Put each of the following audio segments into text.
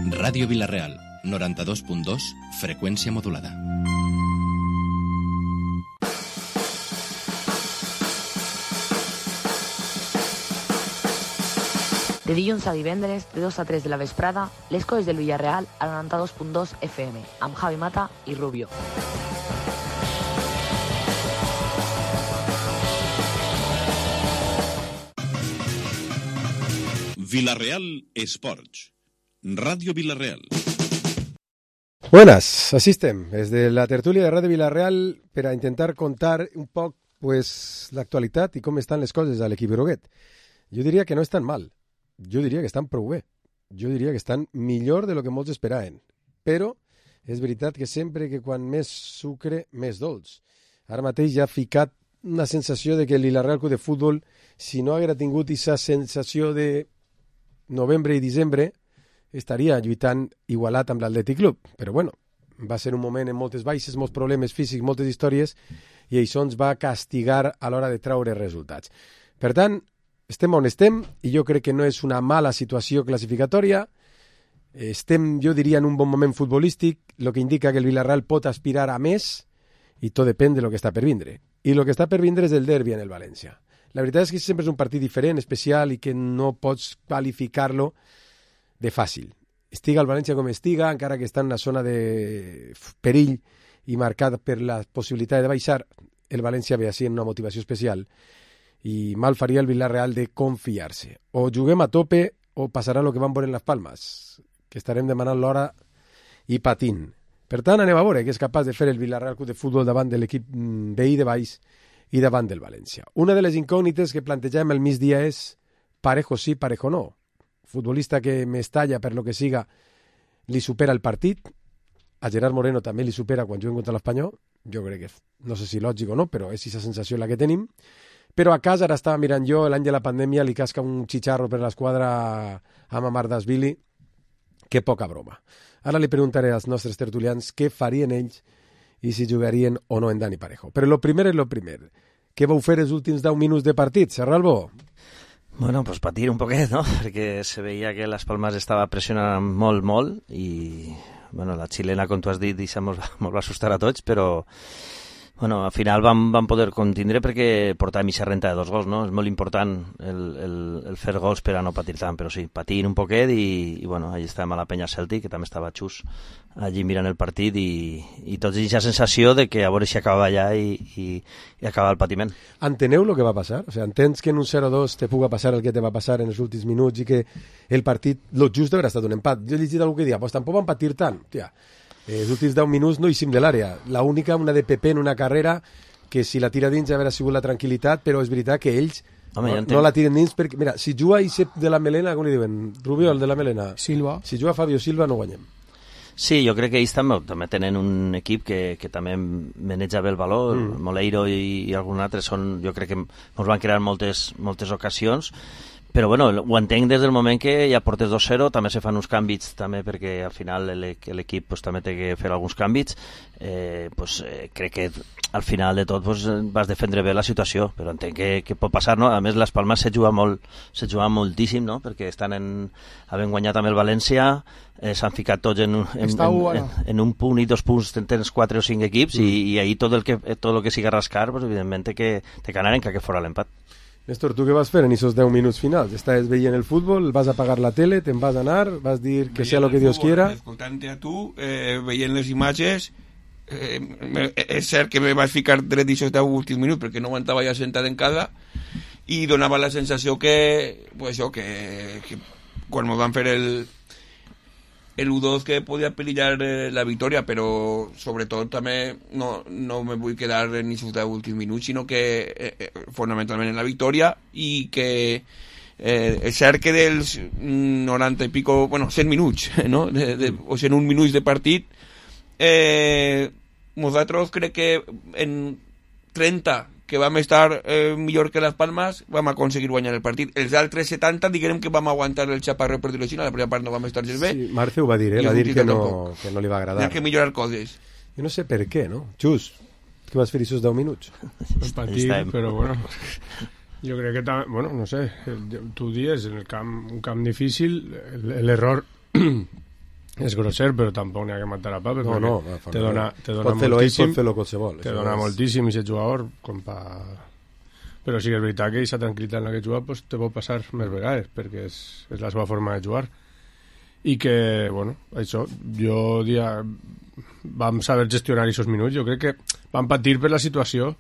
Ràdio Vila-real, 92.2, freqüència modulada. De dilluns a divendres, de 2 a 3 de la vesprada, les coses del Villarreal al 92.2 FM, amb Javi Mata i Rubio. Vila-real Esports. Radio Vila-real. Buenas, así estem, des de la tertúlia de Radio Vila-real per a intentar contar un poc l'actualitat i com estan les coses a l'equip groguet. Jo diria que no estan mal, jo diria que estan prou bé, jo diria que estan millor de lo que molts esperaven, però és veritat que sempre que quan més sucre, més dolç. Ara mateix ja ha ficat una sensació de que el Vila-real Club de Futbol, si no haguera tingut aquesta sensació de novembre i desembre, estaria lluitant igualat amb l'Atlètic Club. Però bueno, va ser un moment amb moltes baixes, molts problemes físics, moltes històries, i això ens va castigar a l'hora de treure resultats. Per tant, estem on estem, i jo crec que no és una mala situació classificatòria. Estem, jo diria, en un bon moment futbolístic, el que indica que el Villarreal pot aspirar a més, i tot depèn de lo que està per vindre. I el que està per vindre és el derbi en el València. La veritat és que sempre és un partit diferent, especial, i que no pots qualificar-lo de fàcil. Estiga el València com estiga, encara que està en una zona de perill i marcat per la possibilitat de baixar, el València ve així en una motivació especial i mal faria el Villarreal de confiar-se. O juguem a tope o passarà el que van veure en les Palmes, que estarem demanant l'hora i patint. Per tant, anem a veure què és capaç de fer el Villarreal Club de Futbol davant de l'equip veí de baix i davant del València. Una de les incògnites que plantegem al migdia és Parejo sí, Parejo no. Futbolista que Mestalla, per lo que siga, li supera el partit. A Gerard Moreno també li supera quan juguen contra l'Espanyol. Jo crec que, no sé si lògic o no, però és aquesta sensació la que tenim. Però a casa, ara estava mirant jo, l'any de la pandèmia li casca un xicharro per l'esquadra a Mamardashvili. Que poca broma. Ara li preguntaré als nostres tertulians què farien ells i si jugarien o no en Dani Parejo. Però lo primer és lo primer. Què vau fer els últims 10 minuts de partit, Serralbo? Bueno, pues patir un poquet, no? Perquè se veia que Las Palmas estava pressionant molt i, bueno, la xilena, com tu has dit, mos va assustar a tots, però, bueno, al final vam poder contindre perquè portàvem aquesta renta de 2 gols, no? És molt important el fer gols per a no patir tant, però sí, patint un poquet i bueno, allà estàvem a la penya Celtic, que també estava xus allí mirant el partit i tots aquesta sensació de que a veure si acabava allà i acabava el patiment. Enteneu el que va passar? O sigui, entens que en un 0-2 te puga passar el que te va passar en els últims minuts i que el partit, lo just haurà estat un empat. Jo he llegit algú que dia, pues tampoc van patir tant. Tia, els últims 10 minuts no eixim de l'àrea. La única, una de Pepe en una carrera, que si la tira dins ja haurà sigut la tranquil·litat, però és veritat que ells no la tiren dins perquè, mira, si juga Isep de la Melena, com li diuen? Rubio, el de la Melena? Silva. Si juga Fabio Silva no guanyem. Sí, jo crec que ells també tenen un equip que també maneja bé el valor. Moleiro i algun altre jo crec que ens van crear moltes ocasions, però bueno, ho entenc des del moment que ja portes 2-0, també se fan uns canvis també perquè al final l'equip pues, també té que fer alguns canvis. Crec que al final de tot vas defendre bé la situació, però entenc que pot passar, no? A més, les Palmes se juga moltíssim, no? Perquè havent guanyat amb el València, s'han ficat tots en un punt i 2 punts, tens 4 o 5 equips i ahir tot el que siga rascar, pues, evidentment té que anar en que fora l'empat. Néstor, tu què vas fer en aquests 10 minuts finals? Estaves veient el futbol, vas apagar la tele, te'n vas anar, vas dir que sea lo que Dios quiera... Escoltant-te a tu, veient les imatges, és cert que me vaig ficar dret d'aquests 10 últims minuts perquè no aguantava ja sentat en casa i donava la sensació que quan me van fer el 1-2 que podia perillar la victòria, però sobretot també no me vull quedar en aquests 10 últims minuts, sinó que fonamentalment en la victòria, i que és cert que dels 90 i pico, 100 minuts, no? O 101 minuts de partit, nosaltres crec que en 30 que vam estar millor que les Palmes vam aconseguir guanyar el partit. Els altres 70 diguem que vam aguantar el xaparro, per dir-ho així, a la primera part no vam estar gens bé. Sí, Marce ho va dir, va dir que no li va agradar. Hi ha que millorar coses. Jo no sé per què, no? Xus, què vas fer aquests 10 minuts? Patir, però bueno, Jo crec que, bueno, no sé, tu dies, en un camp difícil, l'error és grosser, però tampoc n'hi ha que matar a pa, perquè te dona moltíssim, te dona moltíssim aquest jugador, però sí que és veritat que aquesta tranquil·litat en la que juga pues, te pot passar més vegades, perquè és la seva forma de jugar. I que, bueno, això, vam saber gestionar aquests minuts, jo crec que vam patir per la situació,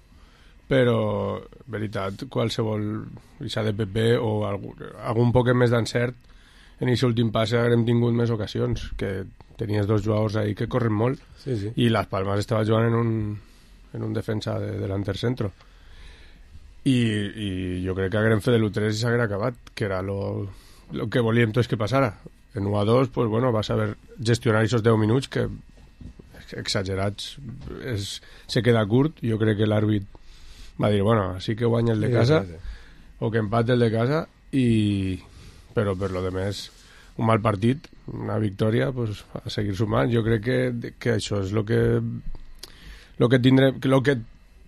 però, veritat, qualsevol ixa de PP o algun poc més d'encert en aquest últim passe haguem tingut més ocasions, que tenies dos jugadors ahí que corren molt, i Las Palmas estava jugant en un defensa de delanter centro. I jo crec que haguem fet l'1-3 i s'haguera acabat, que era lo que volíem tots que passara. En 1-2, pues, bueno, vas saber gestionar aquests 10 minuts que, exagerats, se queda curt. Jo crec que l'àrbit va dir, bueno, sí que guanya el de casa, o que empate el de casa, però per lo demés un mal partit, una victòria, pues, a seguir sumant. Jo crec que això és lo que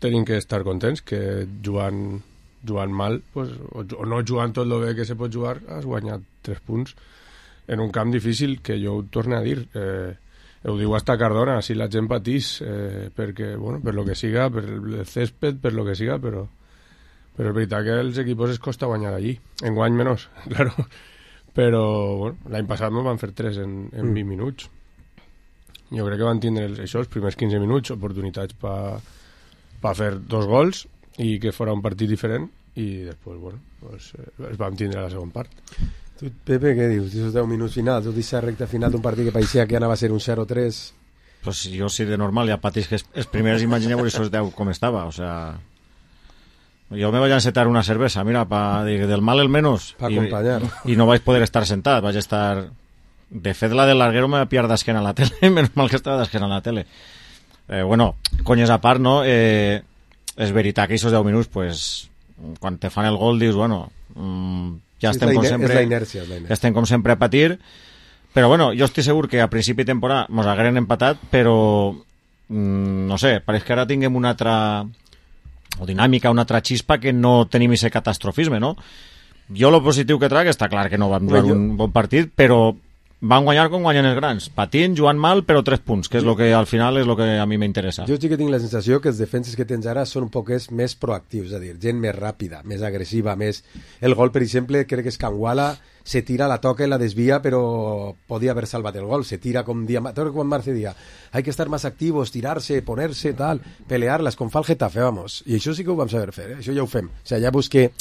tenim que estar contents, que jugant mal, pues, o no jugant tot el bé que se pot jugar, has guanyat 3 punts en un camp difícil, que jo ho torno a dir, ho diu hasta Cardona, si la gent patís, perquè, bueno, per lo que siga, per el césped, per lo que siga, però és veritat que els equipos es costa guanyar allí, en guany menys, claro, però bueno, l'any passat no van fer 3 en 20 minuts. Jo crec que van tindre els primers 15 minuts oportunitats per fer 2 gols i que fora un partit diferent, i després, bueno, pues, els vam tindre a la segona part. Tu, Pepe, què dius? Aquests 10 minuts finals, tot aquesta recta final d'un partit que pareixia que anava a ser un 0-3... Pues jo, si de normal ja patís que els primers imagineu esos 10 com estava, o sea... Jo me vaig a encetar una cervesa, mira, del mal el menos. Para acompañar. I no vaig poder estar sentat, vaig estar... De fet, la del larguero me va pillar d'esquena a la tele, menys mal que estava d'esquena a la tele. Bueno, conyes a part, no? És veritat que aquests 10 minuts, pues, quan te fan el gol dius, bueno, ja estem com sempre... És la inèrcia. Estem com sempre a patir, però bueno, jo estic segur que a principi de temporada mos hagueren empatat, però no sé, pareix que ara tinguem una altra o dinàmica, una altra xispa que no tenim aquest catastrofisme, no? Jo lo positiu que trac, està clar que no vam jugar un bon partit, però van guanyar com guanyen els grans, patint, jugant mal, però 3 punts, que és lo que al final és lo que a mi m'interessa. Jo sí que tinc la sensació que els defenses que tens ara són un poc més proactius, és a dir, gent més ràpida, més agressiva, més... El gol, per exemple, crec que és Canguala, se tira, la toca i la desvia, però podia haver salvat el gol, se tira com Juan Marce dia, hay que estar más activos, tirarse, ponerse, tal, pelearlas, com fa el Getafe, vamos, i això sí que ho vam saber fer, això ja ho fem, o sigui, ja busqué...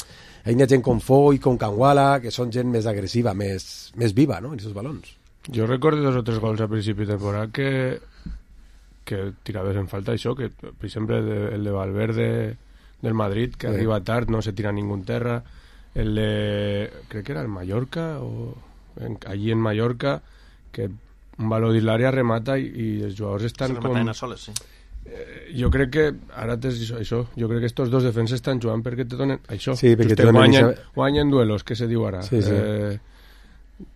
Hi ha gent com Foy, com Canguala, que són gent més agressiva, més viva, no?, en aquests balons. Jo recordo 2 o 3 gols a principi de temporada que tiraves en falta això, que per exemple el de Valverde del Madrid, que arriba tard, no se tira ningú en terra, el de, crec que era el Mallorca, allí en Mallorca, que un valor de l'àrea remata i els jugadors estan com... a soles, sí. Jo crec que ara tens això, jo crec que estos dos defenses estan jugant perquè te donen això, sí, perquè te guanyen duelos, que se diu ara, sí.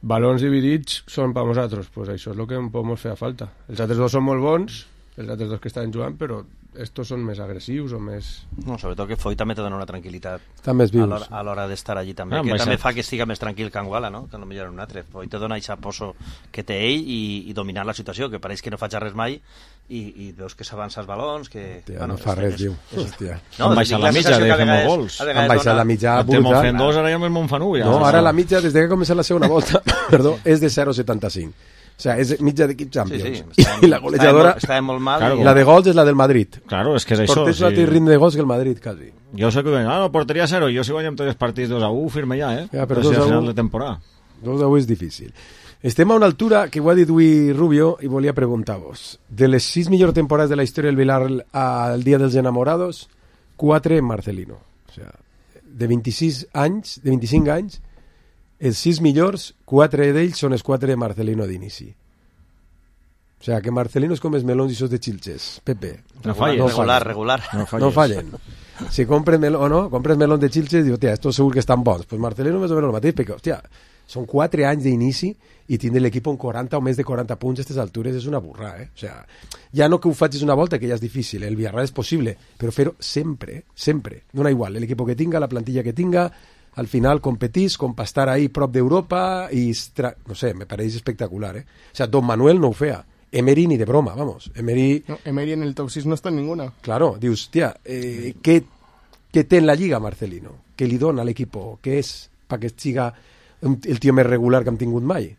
Balons dividits són per nosaltres, pues això és el que podem fer a falta. Els altres dos són molt bons, els altres dos que estan jugant, però estos són més agressius o més... No, sobretot que Foy també te dona una tranquil·litat estan més vius a l'hora d'estar allí també, que també fa que estiga més tranquil que Anguala, no? Que no millor un altre. Foy te dona aquesta poso que té ell i dominar la situació, que pareix que no faig res mai i veus que s'avança els balons, que... Hòstia, bueno, no fa res, diu. Hòstia. No, han baixat la mitja de fer molts gols. Han baixat la mitja brutal. Estem fent 2, ara ja me'n fan 1. No, ara la mitja, des que ha començat la segona volta, perdó, és de 0,75. O sea, és mitja d'equip Champions. Sí. I la golejadora, estava molt mal. Claro, la de gols és la del Madrid. Claro, és que és això. Portés un altre ritme de gols que el Madrid, quasi. Jo sé que no, porteria 0, jo si guanyem tots els partits 2-1, firme ja, Ja, però si al final de temporada. 2-1 és difícil. Estem a una altura que ho ha dit avui Rubio i volia preguntar-vos. De les 6 millors temporades de la història del Vilar al Dia dels Enamorados, 4 en Marcelino. O sea, de 25 anys, els 6 millors, 4 d'ells són els 4 de Marcelino d'inici. O sea, que Marcelino es com els melons i sos de Xilxes. Pepe. Regular. No fallen. Si compres melón de Xilxes, dius, hòstia, estos segur que estan bons. Pues Marcelino més o menys el mateix, perquè, hòstia, són 4 anys d'inici i tindre l'equip en 40 o més de 40 punts a aquestes altures és una burra, O sea, ja no que ho facis una volta, que ja és difícil, el Villarreal és possible, però fer-ho sempre, dona igual, l'equip que tinga, la plantilla que tinga, al final competís com per estar ahí prop d'Europa i, no sé, me pareix espectacular, O sea, Don Manuel no ho feia. Emery ni de broma, vamos. Emery en el top 6 no está en ninguna. Claro, dius, hòstia, què té en la Lliga Marcelino? Què li dona a l'equip? Què és perquè siga el tio més regular que hem tingut mai?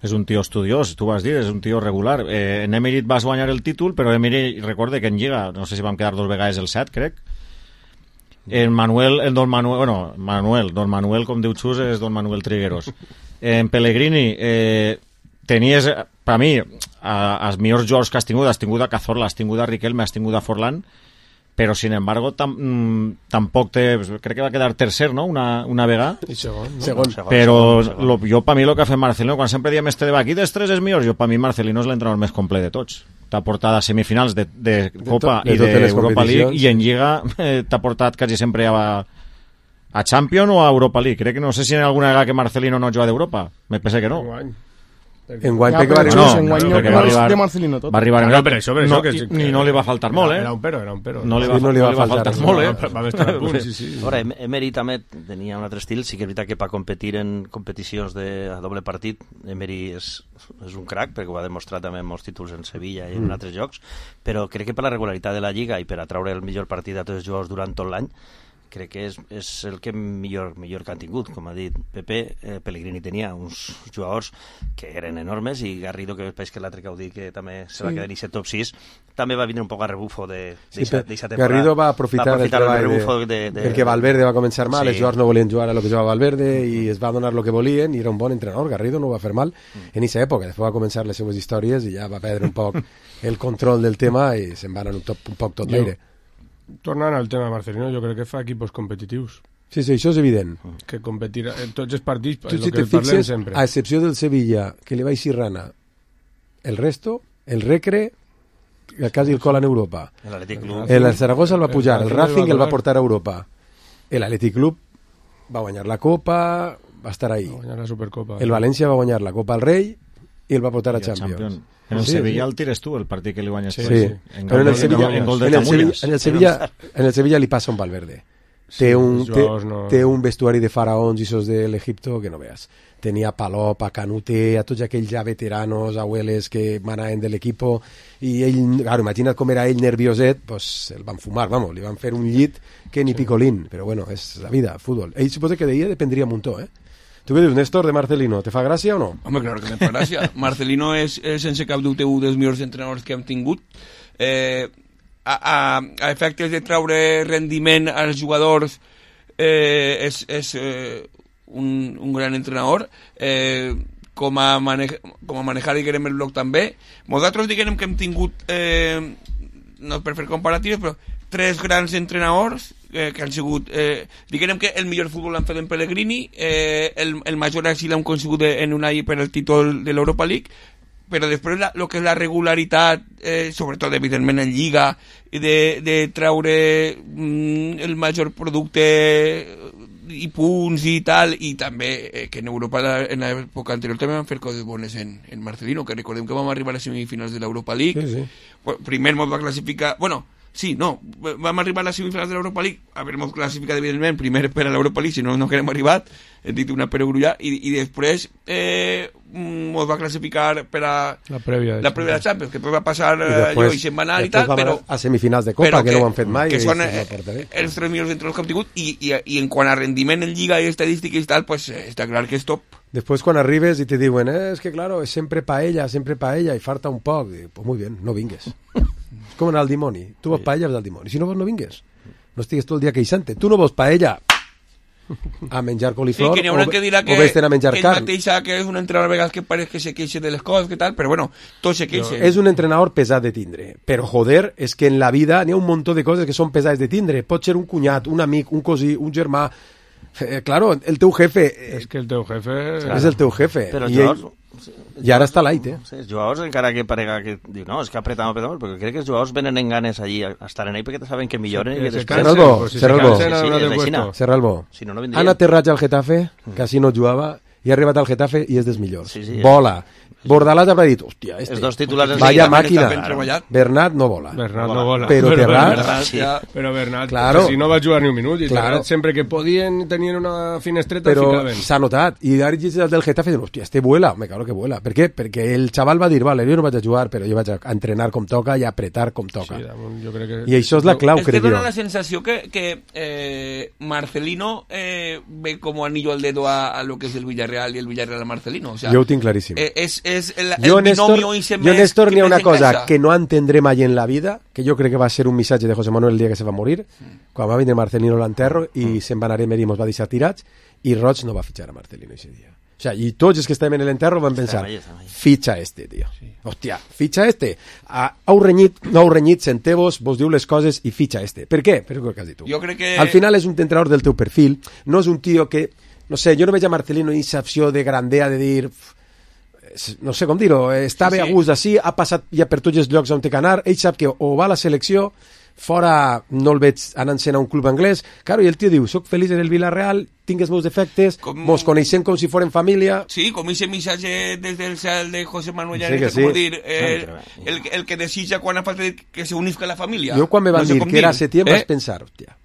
És un tio estudiós, tu vas dir, és un tio regular. En Emery vas guanyar el títol, però Emery, recorde que en Lliga, no sé si vam quedar 2 vegades el 7, crec. Don Manuel, com diu Xus, és Don Manuel Trigueros. En Pellegrini, tenies, per mi, els millors jugadors que has tingut a Cazorla, has tingut a Riquelme, has tingut a Forlán, però, sin embargo, tampoc crec que va quedar tercer, no?, una vegada. I segon. Però jo, per mi, el que ha fet Marcelino, quan sempre diem aquí dels 3 és millor, jo, per mi, Marcelino és l'entrenador més complet de tots. T'ha portat a semifinals de Copa i d'Europa League, i en Lliga t'ha portat quasi sempre a Champions o a Europa League. Crec que no sé si en alguna vegada que Marcelino no juega d'Europa. Me pensa que no. Enguany perquè va arribar de Marcelino tot. Va arribar no, per això i no li va faltar molt, Era un pero. No li va faltar molt, Va estar a punt, sí. Ara, Emery també tenia un altre estil, sí que és veritat que per competir en competicions a doble partit, Emery és un crack, perquè ho ha demostrat també en molts títols en Sevilla i en altres jocs, però crec que per la regularitat de la Lliga i per atraure el millor partit a tots els jugadors durant tot l'any, crec que és el que millor que han tingut. Com ha dit Pepe, Pellegrini tenia uns jugadors que eren enormes, i Garrido, que és que l'altre que heu dit que també se va quedar en aquest top 6, també va vindre un poc a rebufo d'aquesta temporada. Garrido va aprofitar el treball perquè Valverde va començar mal, els jugadors no volien jugar a lo que jugava Valverde i es va donar el que volien, i era un bon entrenador. Garrido no ho va fer mal en aquesta època. Després va començar les seves històries i ja va perdre un poc el control del tema i se'n va anar un poc tot l'aire. Tornant al tema de Marcelino, jo crec que fa equipos competitius. Sí, això és evident. Que competir en tots els partits, tu, si te fixes, a excepció del Sevilla, que li va eixir rana, el resto, el Recre, quasi el cola en Europa. El Zaragoza el va pujar, el Racing el va portar a Europa. L'Atlètic Club va guanyar la Copa, va estar ahí. Va guanyar la Supercopa. El València va guanyar la Copa al Rei i el va portar a Champions. En el Sevilla el tires tu, el partit que li guanyes. Sí. Però en el Sevilla li passa un Valverde. Té un vestuari de faraons i sos de l'Egipto que no veas. Tenia Palop, a Canute, a tots aquells ja veteranos, abueles que manaven de l'equipo, i ell, claro, imagina't com era ell nervioset, pues el van fumar, vamos, li van fer un llit que ni picolín, però bueno, és la vida, fútbol. Ell suposa que d'ella dependria un muntó, Tu què dius, Néstor, de Marcelino? Te fa gràcia o no? Home, claro que me fa gràcia. Marcelino és sense cap dubte un dels millors entrenadors que hem tingut. A efectes de traure rendiment als jugadors, és un gran entrenador. Com a manejar, diguem, el bloc també. Nosaltres, diguem, que hem tingut, no per fer comparatives, però 3 grans entrenadors que han sigut, diguem que el millor futbol l'han fet en Pellegrini, el major èxit l'han conseguit en Unai per el títol de l'Europa League, però després el que és la regularitat, sobretot evidentment en Lliga, de traure el major producte i punts i tal, i també que en Europa en l'època anterior també van fer coses bones en Marcelino, que recordem que vam arribar a les semifinals de l'Europa League. Sí. Primer ens va classificar, vam arribar a les semifinals de l'Europa League, haver-nos classificat evidentment primer per a l'Europa League, si no que hem arribat, hem dit una perogrulla, i després ens va classificar per a la prèvia de Champions, que després va passar i se'n va anar i tal, però a semifinals de Copa, que no ho han fet mai, que són els 3 millors entre els que hem tingut, i en quant a rendiment en Lliga i estadístiques i tal, pues està clar que és top. Després quan arribes i te diuen es que claro, és sempre paella i falta un poc, pues muy bien, no vingues. És com anar al dimoni, tu vols paella, vas al dimoni, si no vols no vingues, no estigues tot el dia queixant-te, tu no vols paella a menjar coliflor, que o vés-te'n a menjar carn. Que és un entrenador a vegades que pareix que se queixa de les coses, que tal, però bueno, tot se queixa. És un entrenador pesat de tindre, però joder, és que en la vida n'hi ha un munt de coses que són pesades de tindre, pot ser un cunyat, un amic, un cosí, un germà, Claro, el teu jefe... És que el teu jefe... És el teu jefe. Però I ara està l'ait, eh? Sí, els jugadors, encara que parega que diu, no, és que apretamos, perquè crec que els jugadors venen en ganes allí a estar en ell perquè saben que milloren i que després... Serralbo. Serralbo. Si no vindrien. Han aterrat al Getafe, que així no jugava, i ha arribat al Getafe i és dels millors. Vola. Bordalàs haurà dit, hòstia, els dos titulars vaya màquina. Bernat no vola. Però Terrat... Però Bernat, si no va jugar ni un minut, i Terrat sempre que podien tenien una finestreta ficaven. Però s'ha notat. I ara del Getafe diuen, hòstia, este vuela, me cago que vuela. Per què? Perquè el xaval va dir, vale, jo no vaig a jugar, però jo vaig a entrenar com toca i a apretar com toca. I això és la clau, crec jo. Es que dona la sensació que Marcelino ve como anillo al dedo a lo que es el Villarreal y el Villarreal a Marcelino. O sea, jo ho tinc claríssim. Jo, Néstor, n'hi ha una cosa que no entendré mai en la vida, que jo crec que va ser un missatge de José Manuel el dia que se va morir, quan va vindre Marcelino a l'enterro i se'n va anar a Emery i mos va deixar tirats, i Roig no va fitxar a Marcelino ese dia. O sea, i tots els que estàvem en l'enterro van pensar, fitxa este, tio. Hòstia, fitxa este. Heu renyit, senteu-vos, vos diu les coses i fitxa este. Per què? Per què has dit tu. Jo crec que... Al final és un entrenador del teu perfil, no és un tio que, no sé, jo no veig a Marcelino en aquesta opció de grandea de dir... no sé com dir-ho, està bé a gust d'ací, ha passat ja per tots els llocs on té que anar, ell sap que o va a la selecció, fora no el veig anant-se'n a un club anglès, claro, i el tio diu, soc feliç en el Villarreal, tinc els meus defectes, mos coneixem com si fórem família... Sí, com ese missatge des del cel de José Manuel Llanes, com dir, el que desitja quan ha falta que se unisca la família. Jo quan me van dir que era Setién vaig pensar, hòstia,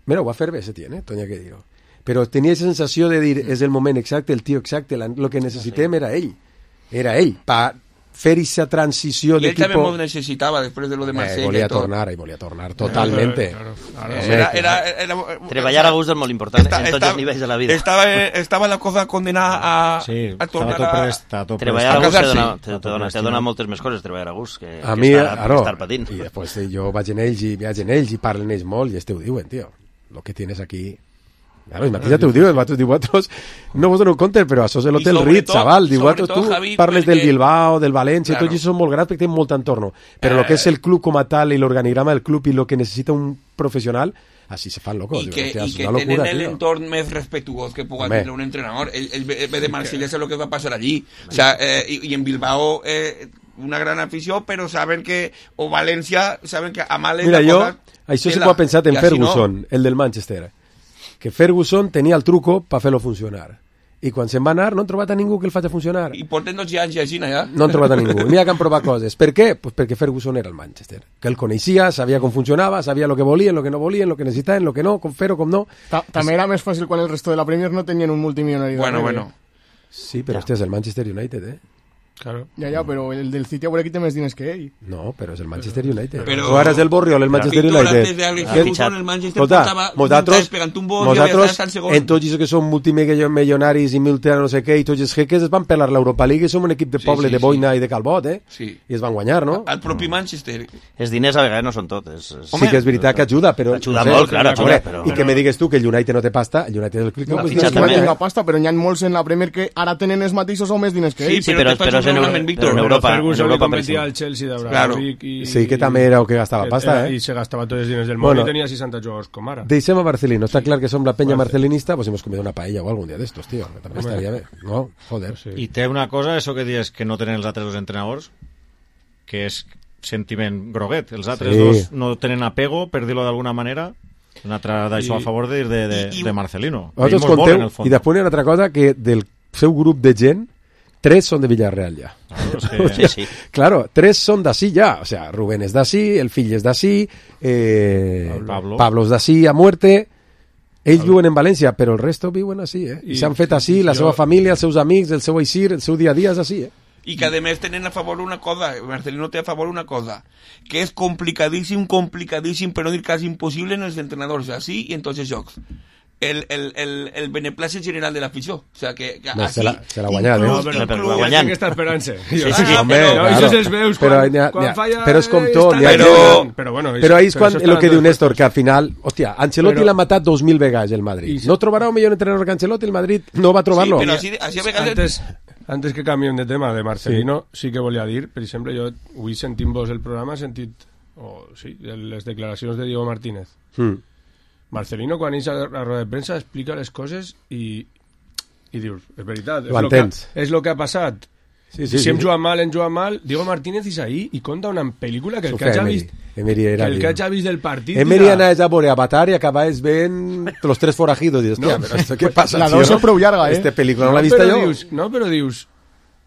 mira, ho va fer bé Setién, Tonya, que dir-ho. Però tenia aquesta sensació de dir, és el moment exacte, el tio exacte, el que necessitem era ell, per fer aquesta transició d'equip. I ell també m'ho necessitava després de lo de Marsella. Volia tornar, totalmente. Treballar a gust és molt important en tots els nivells de la vida. Estava la cosa condenada a tornar a... Treballar a gust te dona moltes més coses, treballar a gust, que estar patint. I després jo vaig en ells i parlen ells molt i este ho diuen, tio. Lo que tienes aquí... Claro, el mateix ja t'ho diuen, vosaltres no vos doneu compte, però això és l'Hotel Ritz, xaval, vosaltres tu parles del Bilbao, del València, tots això són molt grans perquè tenen molt entorno, però el que és el club com a tal i l'organigrama del club i el que necessita un professional, així se fan locos. I que tenen l'entorn més respectuós que puga tenir un entrenador. Ell ve de Marsella, sé lo que va passar allí. O sea, y en Bilbao... una gran afició, però saben que o València, saben que a mal és la cosa... Mira, això sí que ho ha pensat en Ferguson, el del Manchester, que Ferguson tenia el truco per fer-lo funcionar. I quan se'n va anar no han trobat a ningú que el faci funcionar. I porten 12 anys així, ja? No han trobat a ningú. N'hi ha que han provat coses. Per què? Pues perquè Ferguson era el Manchester. Que el coneixia, sabia com funcionava, sabia el que volien, el que no volien, el que necessitaven, el que no, com fer-ho, com no. També era més fàcil quan el resto de la Premier no tenien un multimilionari. Bueno. Sí, però hòstia, és el Manchester United, Claro. Ja, però el del City ahora aquí té més diners que ell. No, però és el Manchester United. Però ara és el Borriol, el Manchester United. El Manchester portava pegant un bot i ja està al segon. En tots els que són multimilionaris i no sé què, i tots els jeques es van pelar l'Europa League i som un equip de poble de Boina i de Calbot, Sí. I es van guanyar, no? El propi Manchester. Els diners a vegades no són tot. Sí que és veritat que ajuda, però... Ajuda molt, clar, ajuda. I que me digues tu que el United no té pasta, el United del club... No tinc pasta, però n'hi ha molts en la Premier que ara tenen els mateixos o més diners que ell. Sí, però és Ferguson competia al Chelsea d'Abramovich sí, que també era el que gastava pasta, i se gastava tots els diners del món i tenia 60 jugadors com ara. Deixem a Marcelino, està clar que som la penya marcelinista, pues hemos comido una paella o algun dia d'estos, tio, que també estaria bé, no? Joder. I té una cosa, això que dius que no tenen els altres dos entrenadors, que és sentiment groguet, els altres dos no tenen apego, per dir-ho d'alguna manera, un altre d'això a favor de Marcelino. Vosaltres conteu, i després hi ha una altra cosa, que del seu grup de gent 3 són de Villarreal ja. Sí. Claro, 3 són d'ací ja. O sea, Rubén és d'ací, el fill és d'ací, Pablo és d'ací a muerte. Ells viuen en València, però el resto viuen així, I s'han fet així, la seva família, els seus amics, el seu eixir, el seu dia a dia és així, I que a més tenen a favor una cosa, Marcelino té a favor una cosa, que és complicadíssim, per no dir quasi impossible en els entrenadors, així i en tots els jocs. El beneplàcit general de l'afició. O sea, que se l'ha guanyat, però guanyant. Aquesta esperança. Això se'ls veus quan falla... Però és com tot. Però ahí és quan el que diu Néstor, que al final, hòstia, Ancelotti l'ha matat 2.000 vegades el Madrid. No trobarà un millor entrenador que Ancelotti, el Madrid no va trobar-lo. Sí, però així a vegades... Antes que canviem de tema de Marcelino, sí que volia dir, per exemple, jo avui sentint-vos el programa he sentit les declaracions de Diego Martínez. Marcelino, quan eix a la roda de premsa, explica les coses i dius, és veritat, és el que ha passat. Sí, si hem jugat mal, Diego Martínez és ahí i conta una pel·lícula que el que hagi vist del partit... Emery anaves a veure Avatar i acabaves veient Los Tres Forajidos i hòstia, però esto què passa, la dos és prou llarga, Esta pel·lícula no l'ha vista jo. Però dius,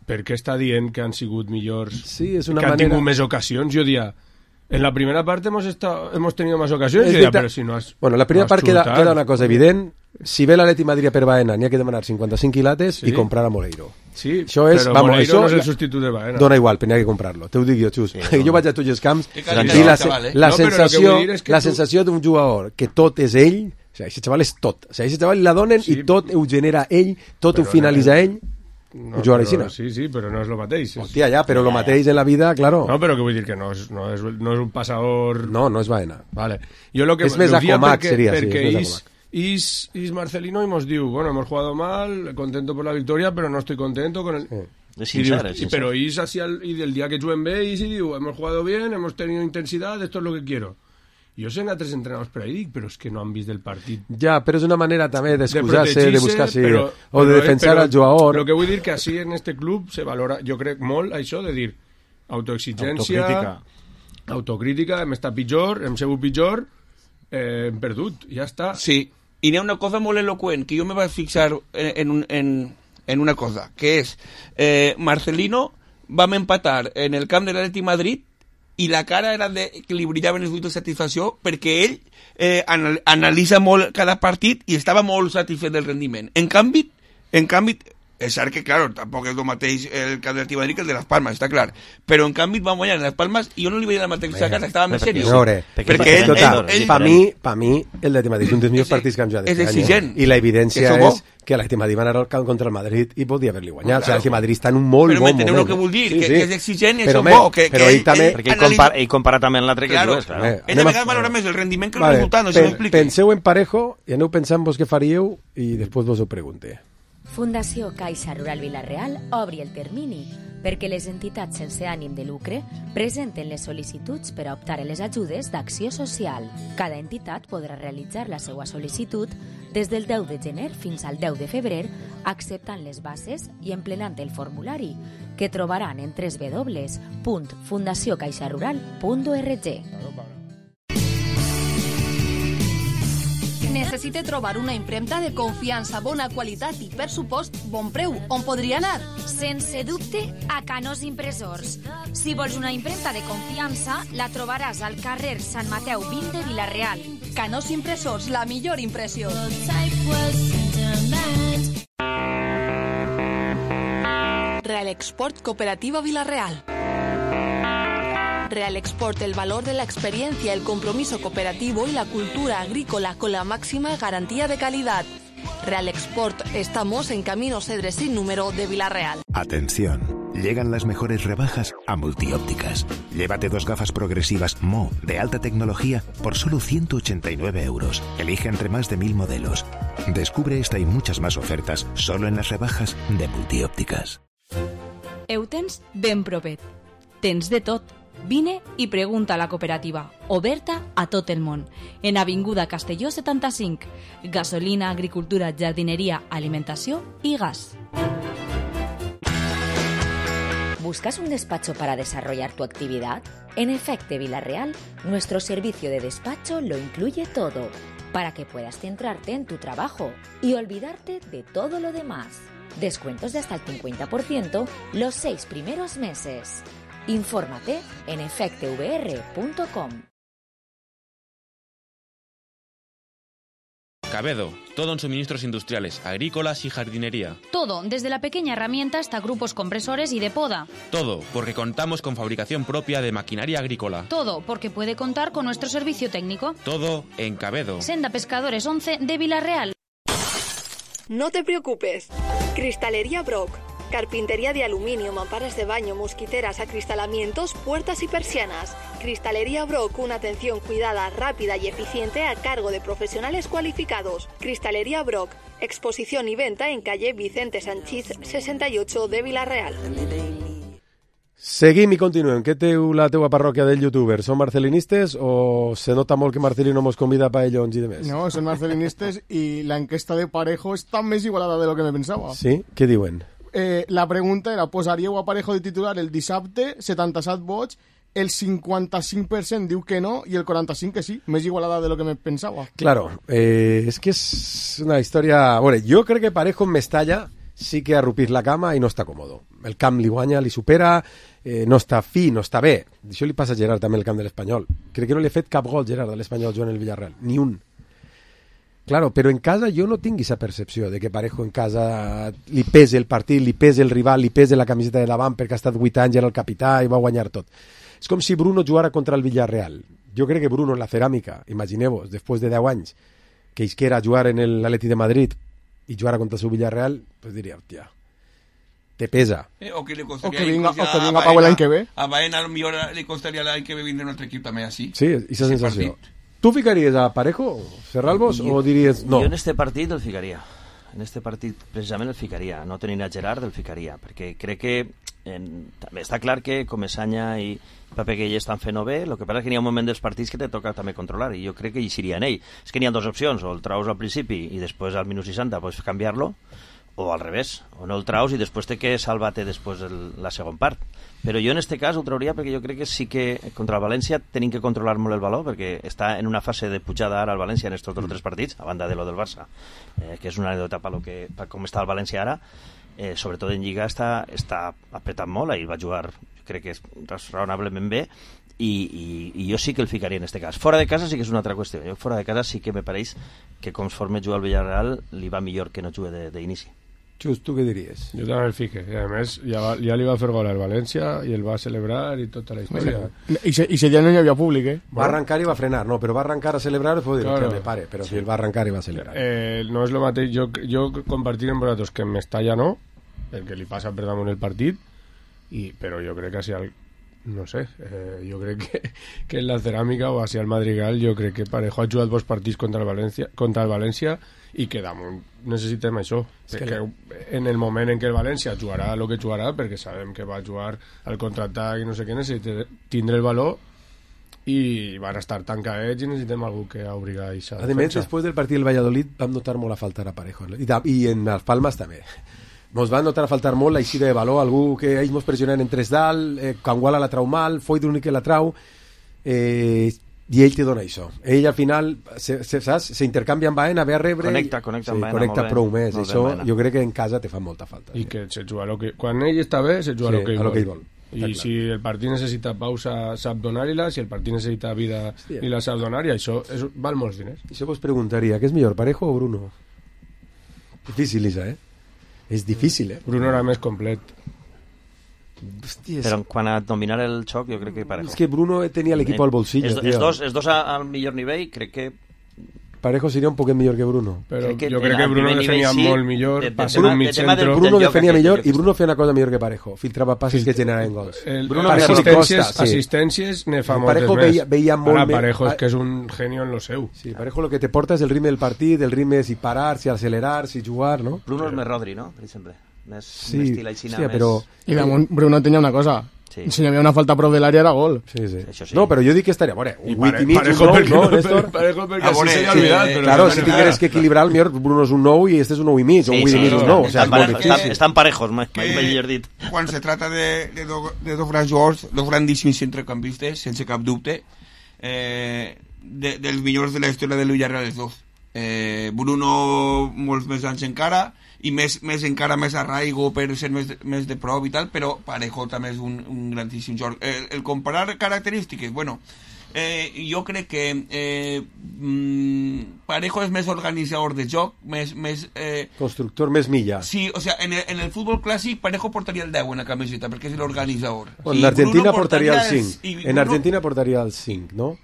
per què està dient que han sigut millors, sí, és una que han tingut més ocasions? Jo diria, en la primera part hemos tenido más ocasiones, però si no has... Bueno, la primera part queda una cosa evident. Si ve l'Atleti Madrid a per Baena, n'hi ha que demanar 55 quilates i comprar a Moleiro. Sí, això és, però Moleiro no és el substitut de Baena. Dona igual, però n'hi ha que comprar-lo. Te ho dic jo, Xus. Jo vaig a tots els camps i la sensació d'un jugador que tot és ell, o sigui, aquest xaval és tot. O sigui, aquest xaval la donen i tot ho genera ell, tot ho finalitza ell. No, sí, però no és el mateix. Hòstia, ja, però el mateix en la vida, claro. No, però que vull dir que no és un passador... No és Baena. Vale. Jo lo que és més Acomac, seria, sí, és més Acomac. Y Marcelino y nos diu, bueno, hemos jugado mal, contento por la victoria, pero no estoy contento con el... Pero Is hacia el día que jueguen bé, Is y diu, hemos jugado bien, hemos tenido intensidad, esto es lo que quiero. Jo sé a 3 entrenadors per ahí, però és que no han vist el partit. Ja, però és una manera també d'excusar-se, de buscar-se, o de defensar al jugador. Però que vull dir que així en este club se valora, jo crec molt això de dir autoexigència, autocrítica, hem estat pitjor, hem sigut pitjor, hem perdut, ja està. Sí, i n'hi ha una cosa molt eloqüent, que jo me vaig fixar en una cosa, que és Marcelino vam empatar en el camp de l'Atleti Madrid i la cara era que li brillaven els ulls de satisfacció perquè ell analitza molt cada partit i estava molt satisfet del rendiment. En canvi, és cert que, claro, tampoc és el mateix el camp de l'Atleti Madrid que el de Las Palmas, està clar. Però en canvi vam guanyar en Las Palmas i jo no li veia la mateixa cara, estava més seriós. Perquè per mi el d'Atleti Madrid és un dels millors partits que hem jugat aquest any. I l'evidència és que l'Atleti Madrid va anar al camp contra el Madrid i podia haver-li guanyat. O sigui, l'Atleti Madrid està en un molt bon moment. Però m'enteneu el que vull dir, que és exigent i és bo. Però ell compara també amb l'altre que tu és, clar. Ell a vegades valora més el rendiment que el resultat, no sé si m'expliqui. Penseu en parejo i aneu pensant vos què faríeu i després vos ho pregunte. Fundació Caixa Rural Vila-real obri el termini perquè les entitats sense ànim de lucre presenten les sol·licituds per a optar a les ajudes d'acció social. Cada entitat podrà realitzar la seva sol·licitud des del 10 de gener fins al 10 de febrer, acceptant les bases i emplenant el formulari, que trobaran en www.fundaciocaixarural.org. Necessite trobar una impremta de confiança, bona qualitat i, per supost, bon preu. On podria anar? Sense dubte, a Canós Impressors. Si vols una impremta de confiança, la trobaràs al carrer Sant Mateu 20 de Vila-real. Canós Impressors, la millor impressió. Real Export Cooperativa Vila-real. Real Export, el valor de la experiencia, el compromiso cooperativo y la cultura agrícola con la máxima garantía de calidad. Real Export, estamos en Camino Cedres sin número de Vila-real. Atención, llegan las mejores rebajas a Multiópticas. Llévate 2 gafas progresivas Mo de alta tecnología por solo 189 euros. Elige entre más de 1000 modelos. Descubre esta y muchas más ofertas solo en las rebajas de Multiópticas. Eutens ben propet. Tens de tot. Vine i pregunta a la cooperativa, oberta a tot el món, en Avinguda Castelló 75, gasolina, agricultura, jardineria, alimentació y gas. ¿Buscas un despacho para desarrollar tu actividad? En Efecte Vila-real, nuestro servicio de despacho lo incluye todo, para que puedas centrarte en tu trabajo y olvidarte de todo lo demás. Descuentos de hasta el 50% los 6 primeros meses. Infórmate en efectevr.com. Cabedo, todo en suministros industriales, agrícolas y jardinería. Todo, desde la pequeña herramienta hasta grupos compresores y de poda. Todo, porque contamos con fabricación propia de maquinaria agrícola. Todo, porque puede contar con nuestro servicio técnico. Todo en Cabedo. Senda Pescadores 11 de Vila-real. No te preocupes. Cristalería Brock. Carpintería de aluminio, mamparas de baño, mosquiteras, acristalamientos, puertas y persianas. Cristalería Brock, una atención cuidada, rápida y eficiente a cargo de profesionales cualificados. Cristalería Brock, exposición y venta en calle Vicente Sanchís 68 de Vila-real. Seguim i continuem. Què teu la teua parròquia del youtuber? Són marcelinistes o se nota molt que Marcelino mos convida a paellons i demés? No, són marcelinistes i la enquesta de Parejo està més igualada de lo que me pensava. Sí? Què diuen? La pregunta era, posaríeu a Parejo de titular el dissabte, 77 vots, el 55% diu que no i el 45% que sí, més igualada de lo que me pensava. Claro, és que és una història... Bueno, jo crec que Parejo en Mestalla sí que ha rupit la cama i no està còmodo. El camp li guanya, li supera, no està fi, no està bé. Això li passa a Gerard també el camp de l'Espanyol. Crec que no li ha fet cap gol Gerard a l'Espanyol jugant el Villarreal, ni un. Claro, però en casa jo no tinc aquesta percepció de que Parejo en casa li pese el partit, li pese el rival, li pese la camiseta de davant perquè ha estat 8 anys, era el capità i va guanyar tot. És com si Bruno jugara contra el Villarreal. Jo crec que Bruno en la ceràmica, imagineu-vos, després de 10 anys, que isquera a jugar en l'Atleti de Madrid i jugara contra el seu Villarreal, pues diria, hòstia, te pesa. O que vinga a Pau l'any que ve. A Baena a lo millor li costaria l'any que ve vindre un altre equip també així. Sí, aquesta sensació. Tu ficaries a Parejo, Serralbos, o diries no? Jo en este partit el ficaria. En este partit precisament el ficaria. No tenint a Gerard el ficaria, perquè crec que també està clar que Comesanya i Pape Gueye estan fent-ho bé, el que passa és que n'hi ha un moment dels partits que te toca també controlar, i jo crec que hi seria en ell. És que n'hi ha dues opcions, o el traus al principi i després al minut 60 pots canviar-lo, o al revés, o no el traus i després té que salvar-te després la segon part. Però jo en este cas ho trauria perquè jo crec que sí que contra el València tenim que controlar molt el valor, perquè està en una fase de pujada ara al València en estos 3 partits, a banda de lo del Barça, que és una anècdota per com està el València ara. Sobretot en Lliga està apretant molt, ahir va jugar, crec que és raonablement bé, i jo sí que el ficaria en este cas. Fora de casa sí que és una altra qüestió. Jo fora de casa sí que me pareix que conforme juga al Villarreal li va millor que no jugui d'inici. Just, tu què diries? Jo també el fique, i a més ja li va fer gol al València i el va celebrar i tota la història. I si ja no hi havia públic, Va arrencar i va frenar, no, però va arrencar a celebrar i dir que me pare, però si el va arrencar i va celebrar. No és el mateix, jo compartir amb vosaltres que en Mestalla no, el que li passa per damunt el partit, però jo crec que si no sé, jo crec que en la ceràmica o hacia el Madrigal jo crec que Parejo ha jugat 2 partits contra el València i que damunt necessitem això, perquè en el moment en què el València jugarà el que jugarà, perquè sabem que va jugar al contraatac i no sé què, necessita tindre el valor i van estar tancadets i necessitem algú que obri aquesta defensa. A més, després del partit del Valladolid vam notar molt a faltar a Parejo i en els Palmes també. Mos van notar a faltar molt la eixida de valor, algú que ells mos pressionen en 3 dalt, Canguala la trau mal, Foy l'únic que la trau, i ell te dona això. Ell al final saps? S'intercanvia amb Baena, ve a rebre connecta amb Baena, connecta prou més. Això jo crec que en casa te fa molta falta. I que se juga quan ell està bé se juga el que ell vol. I si el partit necessita pausa sap donar-hi-la, si el partit necessita vida i la sap donar, i això val molts diners. Això vos preguntaria, què és millor, Parejo o Bruno? Difícil, això, és difícil, Bruno era més complet. Hòstia, però quan a dominar el xoc jo crec que Parejo. És que Bruno tenia l'equip al bolsillo, els dos al millor nivell, crec que Parejo seria un poquet millor que Bruno. Però jo crec que Bruno defenia molt millor, passant un mig centre. Bruno defenia millor i Bruno feia una cosa millor que Parejo, filtrava passes que generaven gols. Bruno assistències ne fa moltes més. Ara Parejo és que és un genio en lo seu. Sí, Parejo lo que te porta és el ritme del partit, el ritme si parar, si accelerar, si jugar, no? Bruno és més Rodri, no? Per exemple. Més estil aixina, més... però... I damunt Bruno tenia una cosa... Sí. Si hi havia una falta prou de l'àrea era gol. Sí. No, però jo dic que estaria... Veure, un 8 i mig, un 9, no, Néstor? Parejo perquè així s'ha oblidat. Claro, si tingueres que equilibrar, el millor Bruno és un 9 i este és un 9 i mig, o un 8 i mig, un 9. O sea, estan parejos, millor dit. Quan se trata de dos grans jugadors, dos grandíssims centrecampistes, sense cap dubte, dels millors de la història del Villarreal, els dos. Bruno molts més anys encara, i més encara més arraigo per ser més de prop i tal, però Parejo també és un grandíssim joc. El comparar característiques, bueno, jo crec que Parejo és més organitzador de joc, més constructor, més milla. Sí, o sea, en el futbol clàssic Parejo portaria el 10 en la camiseta perquè és l'organitzador. En Argentina portaria el 5. En Argentina portaria el 5, ¿no?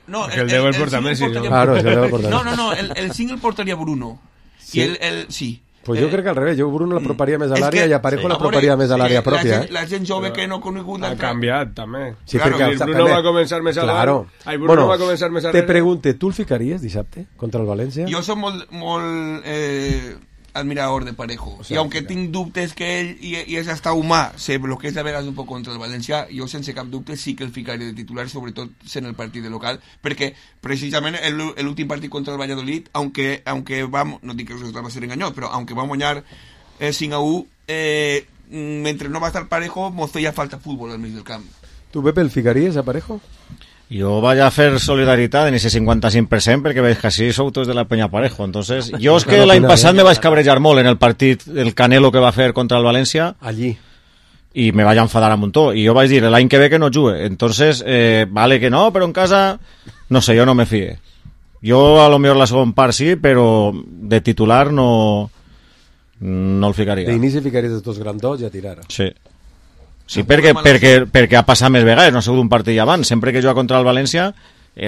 No, el 10 el porta Messi. No, el 5 el portaria Bruno. Sí? I el sí. Pues jo crec que al revés, jo Bruno l'aproparia més a l'àrea i a Parejo l'aproparia més a l'àrea pròpia. La gent jove que no ha conegut... Ha canviat, també. Sí, perquè Bruno va començar més a l'àrea. Bruno va començar més a l'àrea. Te pregunte, tu el ficaries dissabte contra el València? Jo soc molt admirador de Parejo. I aunque tinc dubtes que ell i és hasta humà, se bloqueja a vegades un poc contra el València, jo sense cap dubte sí que el ficaria de titular, sobretot sent el partit de local, perquè precisament l'últim partit contra el Valladolid, aunque vam, no dic que el resultat va ser enganyós, però aunque vam guanyar 5-1, mentre no va estar Parejo, mos feia falta futbol al mig del camp. Tu, Pepe, el ficaries a Parejo? Jo vaig a fer solidaritat en ese 55% perquè veig que així sou tots de la penya Parejo. Entonces, jo és que l'any passat me vaig cabrejar molt en el partit, el Canelo que va fer contra el València. Allí. I me vaig enfadar a muntó. I jo vaig dir, l'any que ve que no jugue. Entonces, vale que no, però en casa, no sé, jo no me fie. Jo a lo millor la segon part sí, però de titular no el ficaria. D'inici ficaries els dos grandots i a tirar. Sí. Sí, perquè ha passat més vegades, no ha sigut un partit abans. Sempre que juga contra el València,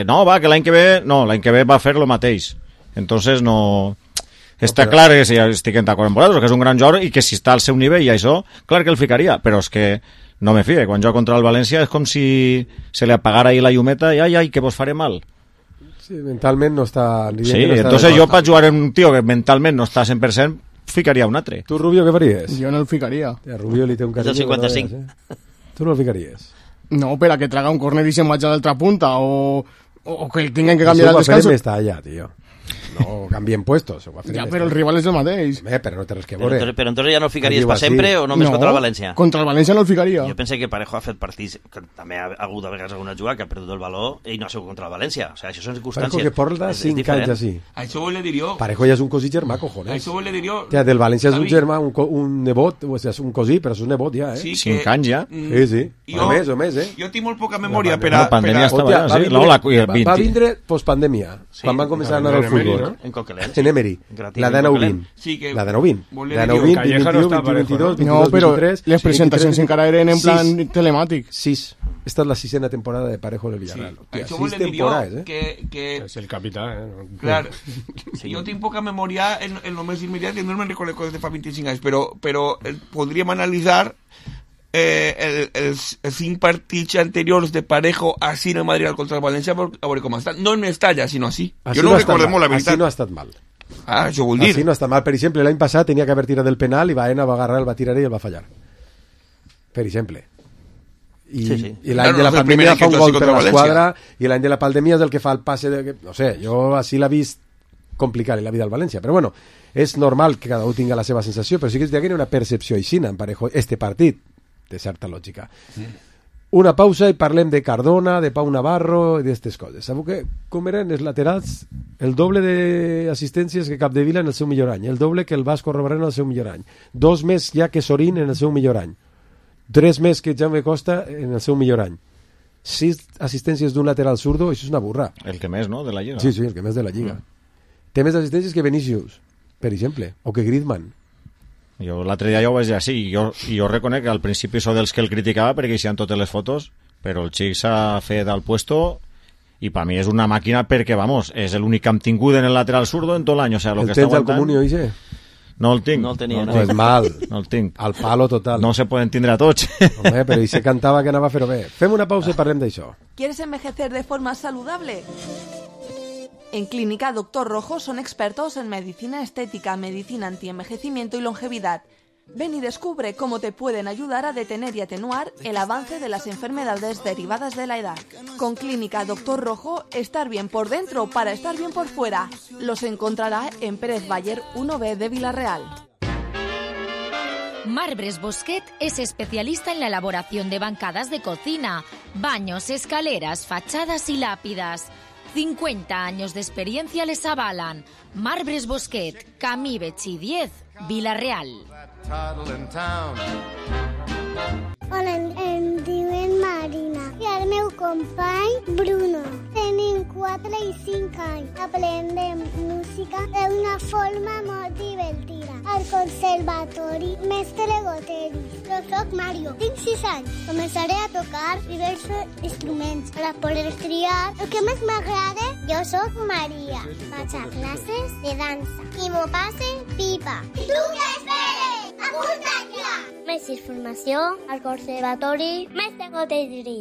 no, va, que l'any que ve va fer el mateix. Entonces no... Està clar que si estic d'acord amb vosaltres, que és un gran jugador i que si està al seu nivell i això, clar que el ficaria, però és que no me fie. Quan juga contra el València és com si se li apagara ahí la llumeta i ai, que vos faré mal. Sí, mentalment no està... Sí, entonces jo per jugar en un tio que mentalment no està 100%, ficaria un altre. Tu, Rubio, què faries? Jo no el ficaria. A Rubio li té un carinyo. És el 55. Tu no el ficaries? No, per a que traga un córner i se'n vagi a l'altra punta, o que el tinguin que canviar el descanso. Eso està allà, tío. No canvien puestos. Ja, però el rival és el mateix. Però no té res que veure. Però entonces ja no el ficaries per sempre o només contra el València? Contra el València no el ficaria. Jo pense que Parejo ha fet partits, que també ha hagut a vegades alguna jugada que ha perdut el valor i no ha sigut contra el València. O sigui, això són circumstàncies. Parejo que porta 5 anys així. Això vol dir jo... Parejo ja és un cosí germà, cojones. Això vol dir jo... Del València és un germà, un nebot, o sigui, és un cosí, però és un nebot ja, 5 anys ja? Sí. O més, Jo tinc molt poca memòria per a... La pandèmia estava allà, sí. Va vindre postpandèmia, quan van començar a anar al futbol. En Coquelin. En Emery, la de 9-20. La de 9-20. La de 9-20, 21, 22, 23... No, però les presentacions encara eren en plan telemàtic. 6. Esta és la 6ª temporada de Parejo del Villarreal. 6 temporades, que... És el capità, Clar, jo tinc poca memòria en el més immediat i no me'n recordo coses de fa 25 anys, però podríem analitzar els 5 partits anteriors de Parejo així en el Madrid contra el València a veure com estan. No en Mestalla, sinó així. Jo no recordo molt la veritat. Així no ha estat mal. Això vol dir. Així no està mal. Per exemple, l'any passat tenia que haver tirat del penal i Baena va agarrar, el va tirar i el va fallar. Per exemple. I l'any de la pandèmia fa un gol per l'esquadra i l'any de la pandèmia és el que fa el passe no sé, jo així l'he vist complicar la vida al València, però bueno, és normal que cada un tinga la seva sensació, però sí que és que hi ha una percepció aixina en Parejo, este partit de certa lògica. Una pausa i parlem de Cardona, de Pau Navarro i d'aquestes coses. Sabeu que com eren els laterals el doble d'assistències que Capdevila en el seu millor any, el doble que el Vasco Robarén en el seu millor any, 2 més ja que Sorín en el seu millor any, 3 més que Jaume Costa en el seu millor any, 6 assistències d'un lateral zurdo, això és una burra. El que més, no?, de la Lliga. Sí, el que més de la Lliga. Té més assistències que Vinícius, per exemple, o que Griezmann. Jo l'altre dia ja ho vaig dir així, i jo reconec que al principi sóc dels que el criticava perquè hi havia totes les fotos, però el xic s'ha fet al puesto i per mi és una màquina perquè, vamos, és l'únic que hem tingut en el lateral zurdo en tot l'any, o sea, lo que està aguantant... El tens al Comunio, Ixe? No el tinc. No el tenia, no és mal. No el tinc. Al palo total. No se poden tindre a tots. Home, però Ixe cantava que anava a fer-ho bé. Fem una pausa i parlem d'això. ¿Quieres envejecer de forma saludable? En Clínica Doctor Rojo son expertos en medicina estética, medicina antienvejecimiento y longevidad. Ven y descubre cómo te pueden ayudar a detener y atenuar el avance de las enfermedades derivadas de la edad. Con Clínica Doctor Rojo, estar bien por dentro para estar bien por fuera. Los encontrará en Pérez Bayer 1B de Villarreal. Marbres Bosquet es especialista en la elaboración de bancadas de cocina, baños, escaleras, fachadas y lápidas. 50 años de experiencia les avalan. Marbres Bosquet, Camí Betxí 10, Villarreal. Hola, em diuen Marina i el meu company Bruno. Tenim 4 i 5 anys. Aprendem música d'una forma molt divertida. Al conservatori Mestre Goteri. Jo soc Mario, tinc 6 anys. Començaré a tocar diversos instruments per a poder triar el que més m'agrada. Jo soc Maria. Vaig a classes de dansa i m'ho passe pipa. Tu què esperes? Apunta't ja! Més informació al conservatori Mestre Goteri.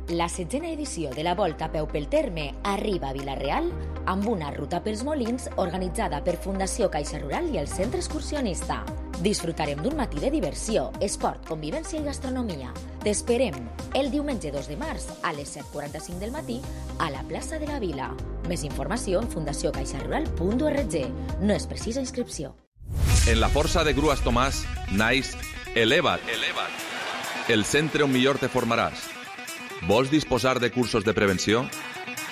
La 16a edició de la Volta a peu pel Terme arriba a Vila-real amb una ruta pels Molins organitzada per Fundació Caixa Rural i el Centre Excursionista. Disfrutarem d'un matí de diversió, esport, convivència i gastronomia. T'esperem el diumenge 2 de març a les 7:45 del matí a la plaça de la Vila. Més informació en fundacioncaixarural.org. No és precisa inscripció. En la força de Grues Tomàs naix Eleva't. El centre on millor te formaràs. Vols disposar de cursos de prevenció?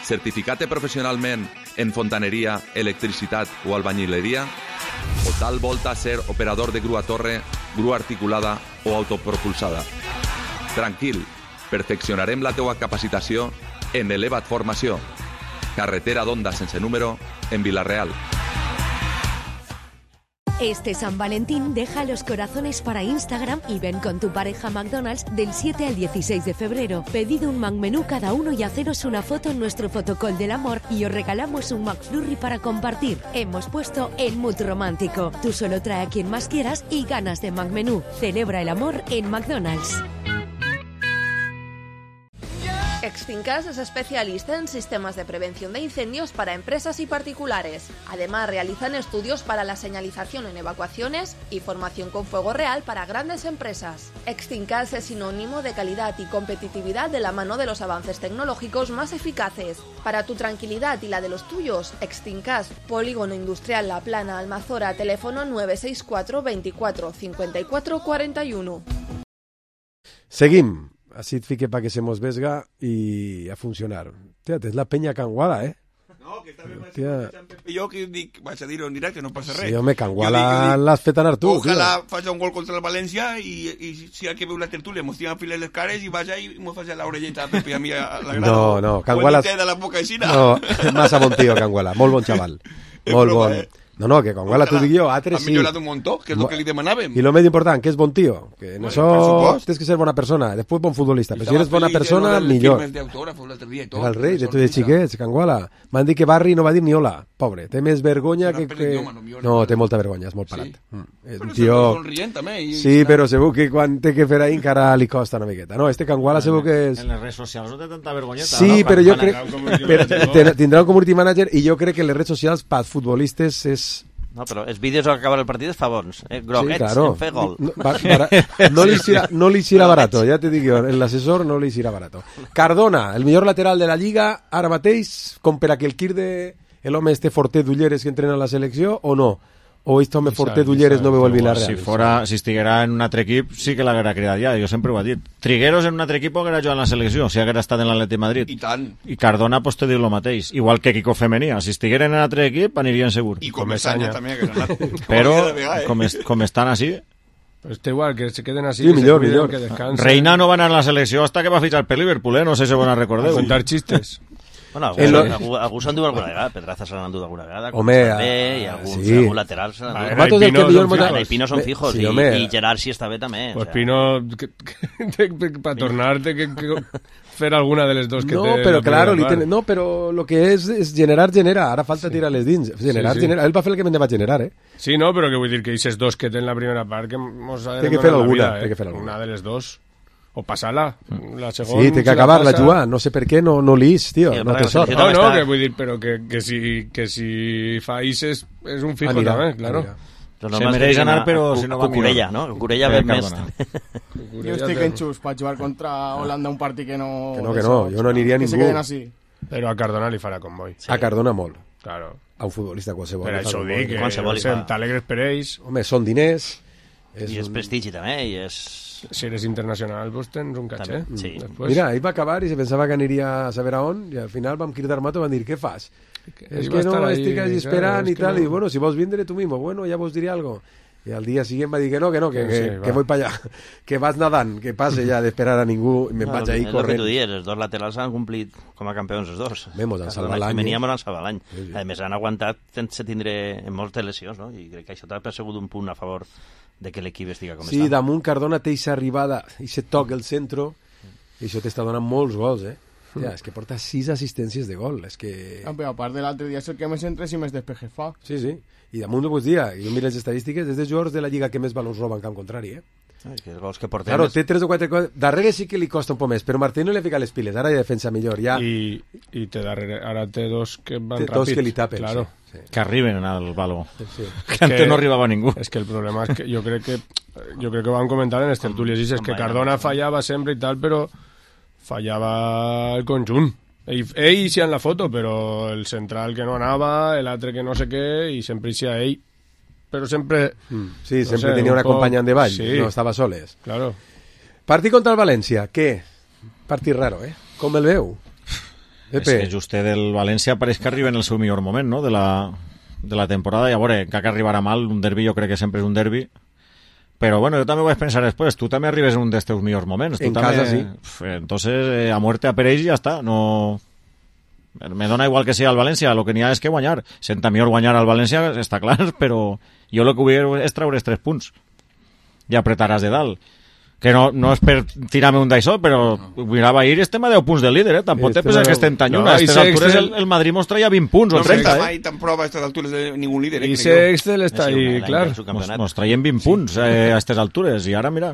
Certificar-te professionalment en fontaneria, electricitat o albañileria? O tal volta ser operador de grua torre, grua articulada o autopropulsada? Tranquil, perfeccionarem la teua capacitació en Eleva't Formació. Carretera d'Onda sense número en Vila-real. Este San Valentín deja los corazones para Instagram y ven con tu pareja a McDonald's del 7 al 16 de febrero. Pedid un McMenú cada uno y haceros una foto en nuestro fotocall del amor y os regalamos un McFlurry para compartir. Hemos puesto el mood romántico. Tú solo trae a quien más quieras y ganas de McMenú. Celebra el amor en McDonald's. Extincas es especialista en sistemas de prevención de incendios para empresas y particulares. Además, realizan estudios para la señalización en evacuaciones y formación con fuego real para grandes empresas. Extincas es sinónimo de calidad y competitividad de la mano de los avances tecnológicos más eficaces. Para tu tranquilidad y la de los tuyos, Extincas, Polígono Industrial La Plana, Almazora, teléfono 964 24 54 41. Seguim. Així et fique perquè se mos vesga i a funcionar. Hòstia, és la penya Can Guala, eh? No, que també jo que dic, vaig a dir-ho en directe, no passa res. Sí, home, Can Guala l'has fet anar tu. Ojalà faci un gol contra el València i si el que veu la tertúlia mos tira a filar les cares i vaja i mos faci l'orelleta a Pepe a mi a la grada. No, Can Guala... de la boca aixina. No, massa bon tio, Can Guala. Molt bon xaval. Molt bon. No, que Can Guala t'ho dic jo, altres sí. Ha millorat un muntó, que és el que li demanàvem. I el més important, que és bon tio. Que en això tens que ser bona persona, després bon futbolista. Però si eres bona persona, millor. Era el rei de tots els xiquets, Can Guala. M'han dit que Barri no va dir ni hola, pobre. Té més vergonya que... No, té molta vergonya, és molt parat. És un tio... Sí, però segur que quan té que fer ahí encara li costa una miqueta. No, este Can Guala segur que és... En les redes socials no té tanta vergonyeta. Sí, però jo crec... Tindrà un community manager i jo crec que les redes socials pels futbolistes és... No, però els vídeos al acabar el partit és fa bons. Groguets, sí, claro. En fer gol. No li serà barato, ja te dic jo. L'assessor no li serà barato. Cardona, el millor lateral de la Lliga, ara mateix, com per a que el Quirde, l'home este forter d'ulleres que entrena a la selecció, o no? O aquest home forter d'ulleres no veu el Villarreal? Si estiguera en un altre equip, sí que l'haguera cridat ja, jo sempre ho he dit. Trigueros en un altre equip haguera jugat en la selecció, si haguera estat en l'Atleti Madrid. I tant. I Cardona, pues te diu el mateix. Igual que Kiko Femenia, si estigueren en un altre equip, anirien segur. I Comesaña també, que no. Però, com estan així... Pues está igual, que se queden así, sí, millor. Que descansen. Reina no va anar a la selecció hasta que va fichar per Liverpool, no sé si van a recordar. Contar chistes. Bueno, algú s'han dut alguna vegada, Pedraza s'han dut alguna vegada, home, també, i algun lateral s'han dut. I Pino són fijos, i Gerard si està bé també. Pues Pino, para tornar-te que fer alguna de les dos que té... No, però claro, no, però lo que és generar, ara falta tirar les dins. Generar, ell va fer el que me'n va generar, eh? Sí, no, però que vull dir que aquestes dos que té en la primera part que mos ha de fer alguna, una de les dos. O passar-la, la segona... Sí, té que acabar-la, jugar. No sé per què no l'ís, tio. No té sort. No, que vull dir, però que si fa Ises és un fijo també, claro. Se mereix anar, però si no va millor. Cucurella, no? Cucurella ve més. Jo estic enxús per jugar contra Holanda un partit que no... Que no, jo no aniria a ningú. Que se queden així. Però a Cardona li farà convoi. A Cardona molt. Claro. A un futbolista qualsevol. Per això ho dic, que t'alegres per ells. Home, són diners... I és prestigi també, i és... Si eres internacional, pues tens un caché. Sí. Mira, ell va acabar i se pensava que aniria a saber a on, i al final vam cridar mato i van dir, què fas? És que no, estic així esperant i tal, i bueno, si vols vindre tu mismo, bueno, ja vos diré algo. I al dia siguiente va dir que no, que voy para allá, que vas nadant, que passe ja d'esperar a ningú, i me'n vaig ahí corrent. És el que tu dius, els dos laterals han complit com a campions els dos. Mos han salvat l'any. Veníem a salvar l'any. A més, han aguantat sense tindre moltes lesions, no? I crec que això t'ha persegut un punt a favor de que l'equip estiga com està. Sí, damunt Cardona té aquesta arribada, aquest toc al centre, i això t'està donant molts gols, eh? Ja, és que porta 6 assistències de gol, és que... Però a part de l'altre dia és el que més entres i més despejes fa. Sí, i damunt ho pots dir, jo miro les estadístiques, és de jugadors de la Lliga que més valors roba en camp contrari, eh? Que els gols que portem... Claro, té 3 o 4 coses. Darrere sí que li costa un poc més, però Martí no li ha ficat les piles, ara ja defensa millor. Ja. I té darrere, ara té dos que van té ràpid. Dos que li tapen, claro. Sí. Que arriben al baló. Sí. Que antes no arribava ningú. És que el problema és que jo crec que ho van comentar en les tertúlies, és que Cardona fallava sempre i tal, però fallava el conjunt. Ell sí en la foto, però el central que no anava, l'altre que no sé què, i sempre hi sia ell. Però sempre... Sí, no sempre tenia una companya de ball, sí. No estava soles. Claro. Partit contra el València, què? Partit raro, Com el veu? És que justet del València pareix que arriba en el seu millor moment, no?, de la temporada, i a veure, que arribarà mal, un derbi jo crec que sempre és un derbi, però bueno, jo també vaig pensar després, tu també arribes en un dels teus millors moments. En casa, sí. Entonces, a muerte a Pereix i ja està, no... Me dona igual que sigui el València, el que n'hi ha és que guanyar. Senta millor guanyar al València, està clar, però jo el que vull és treure 3 punts i apretaràs de dalt. Que no és per tirar-me un d'això, però mirava ahir estem a 10 punts del líder, Tampoc te penses que estem tan lluny. A aquestes altures el Madrid mos traia 20 punts o 30, No mai tan prova a aquestes altures de ningú líder. I Sextel està ahí, clar. Mos traiem 20 punts a aquestes altures, i ara, mira...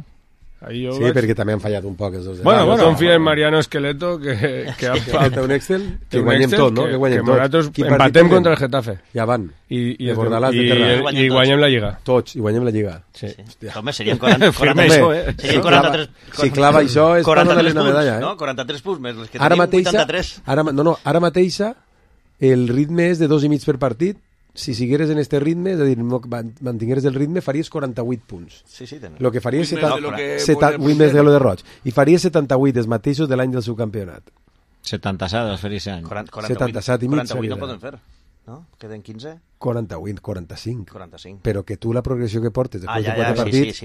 Sí, perquè també han fallat un poc els dos. Bueno, confia en Mariano Esqueleto que ha un Excel, que guanyem tot, no? Que nosaltres empatem contra el Getafe. Ja van. I guanyem la Lliga. Tots, i guanyem la Lliga. Sí. Home, serien 43. Si clava això és per donar-li una medalla. No, 43 punts més, els que tenim 83. Ara mateixa el ritme és de 2,5 per partit. Si sigueres en este ritme, és a dir, mantingueres el ritme, faries 48 punts. Sí, Lo que faries 8 més de lo de Roig. I faries 78, els mateixos de l'any del subcampionat. 77 els faries any. 77 i mig. 48 no poden fer, no? Queden 15? 48, 45. Però que tu la progressió que portes després de 4 partits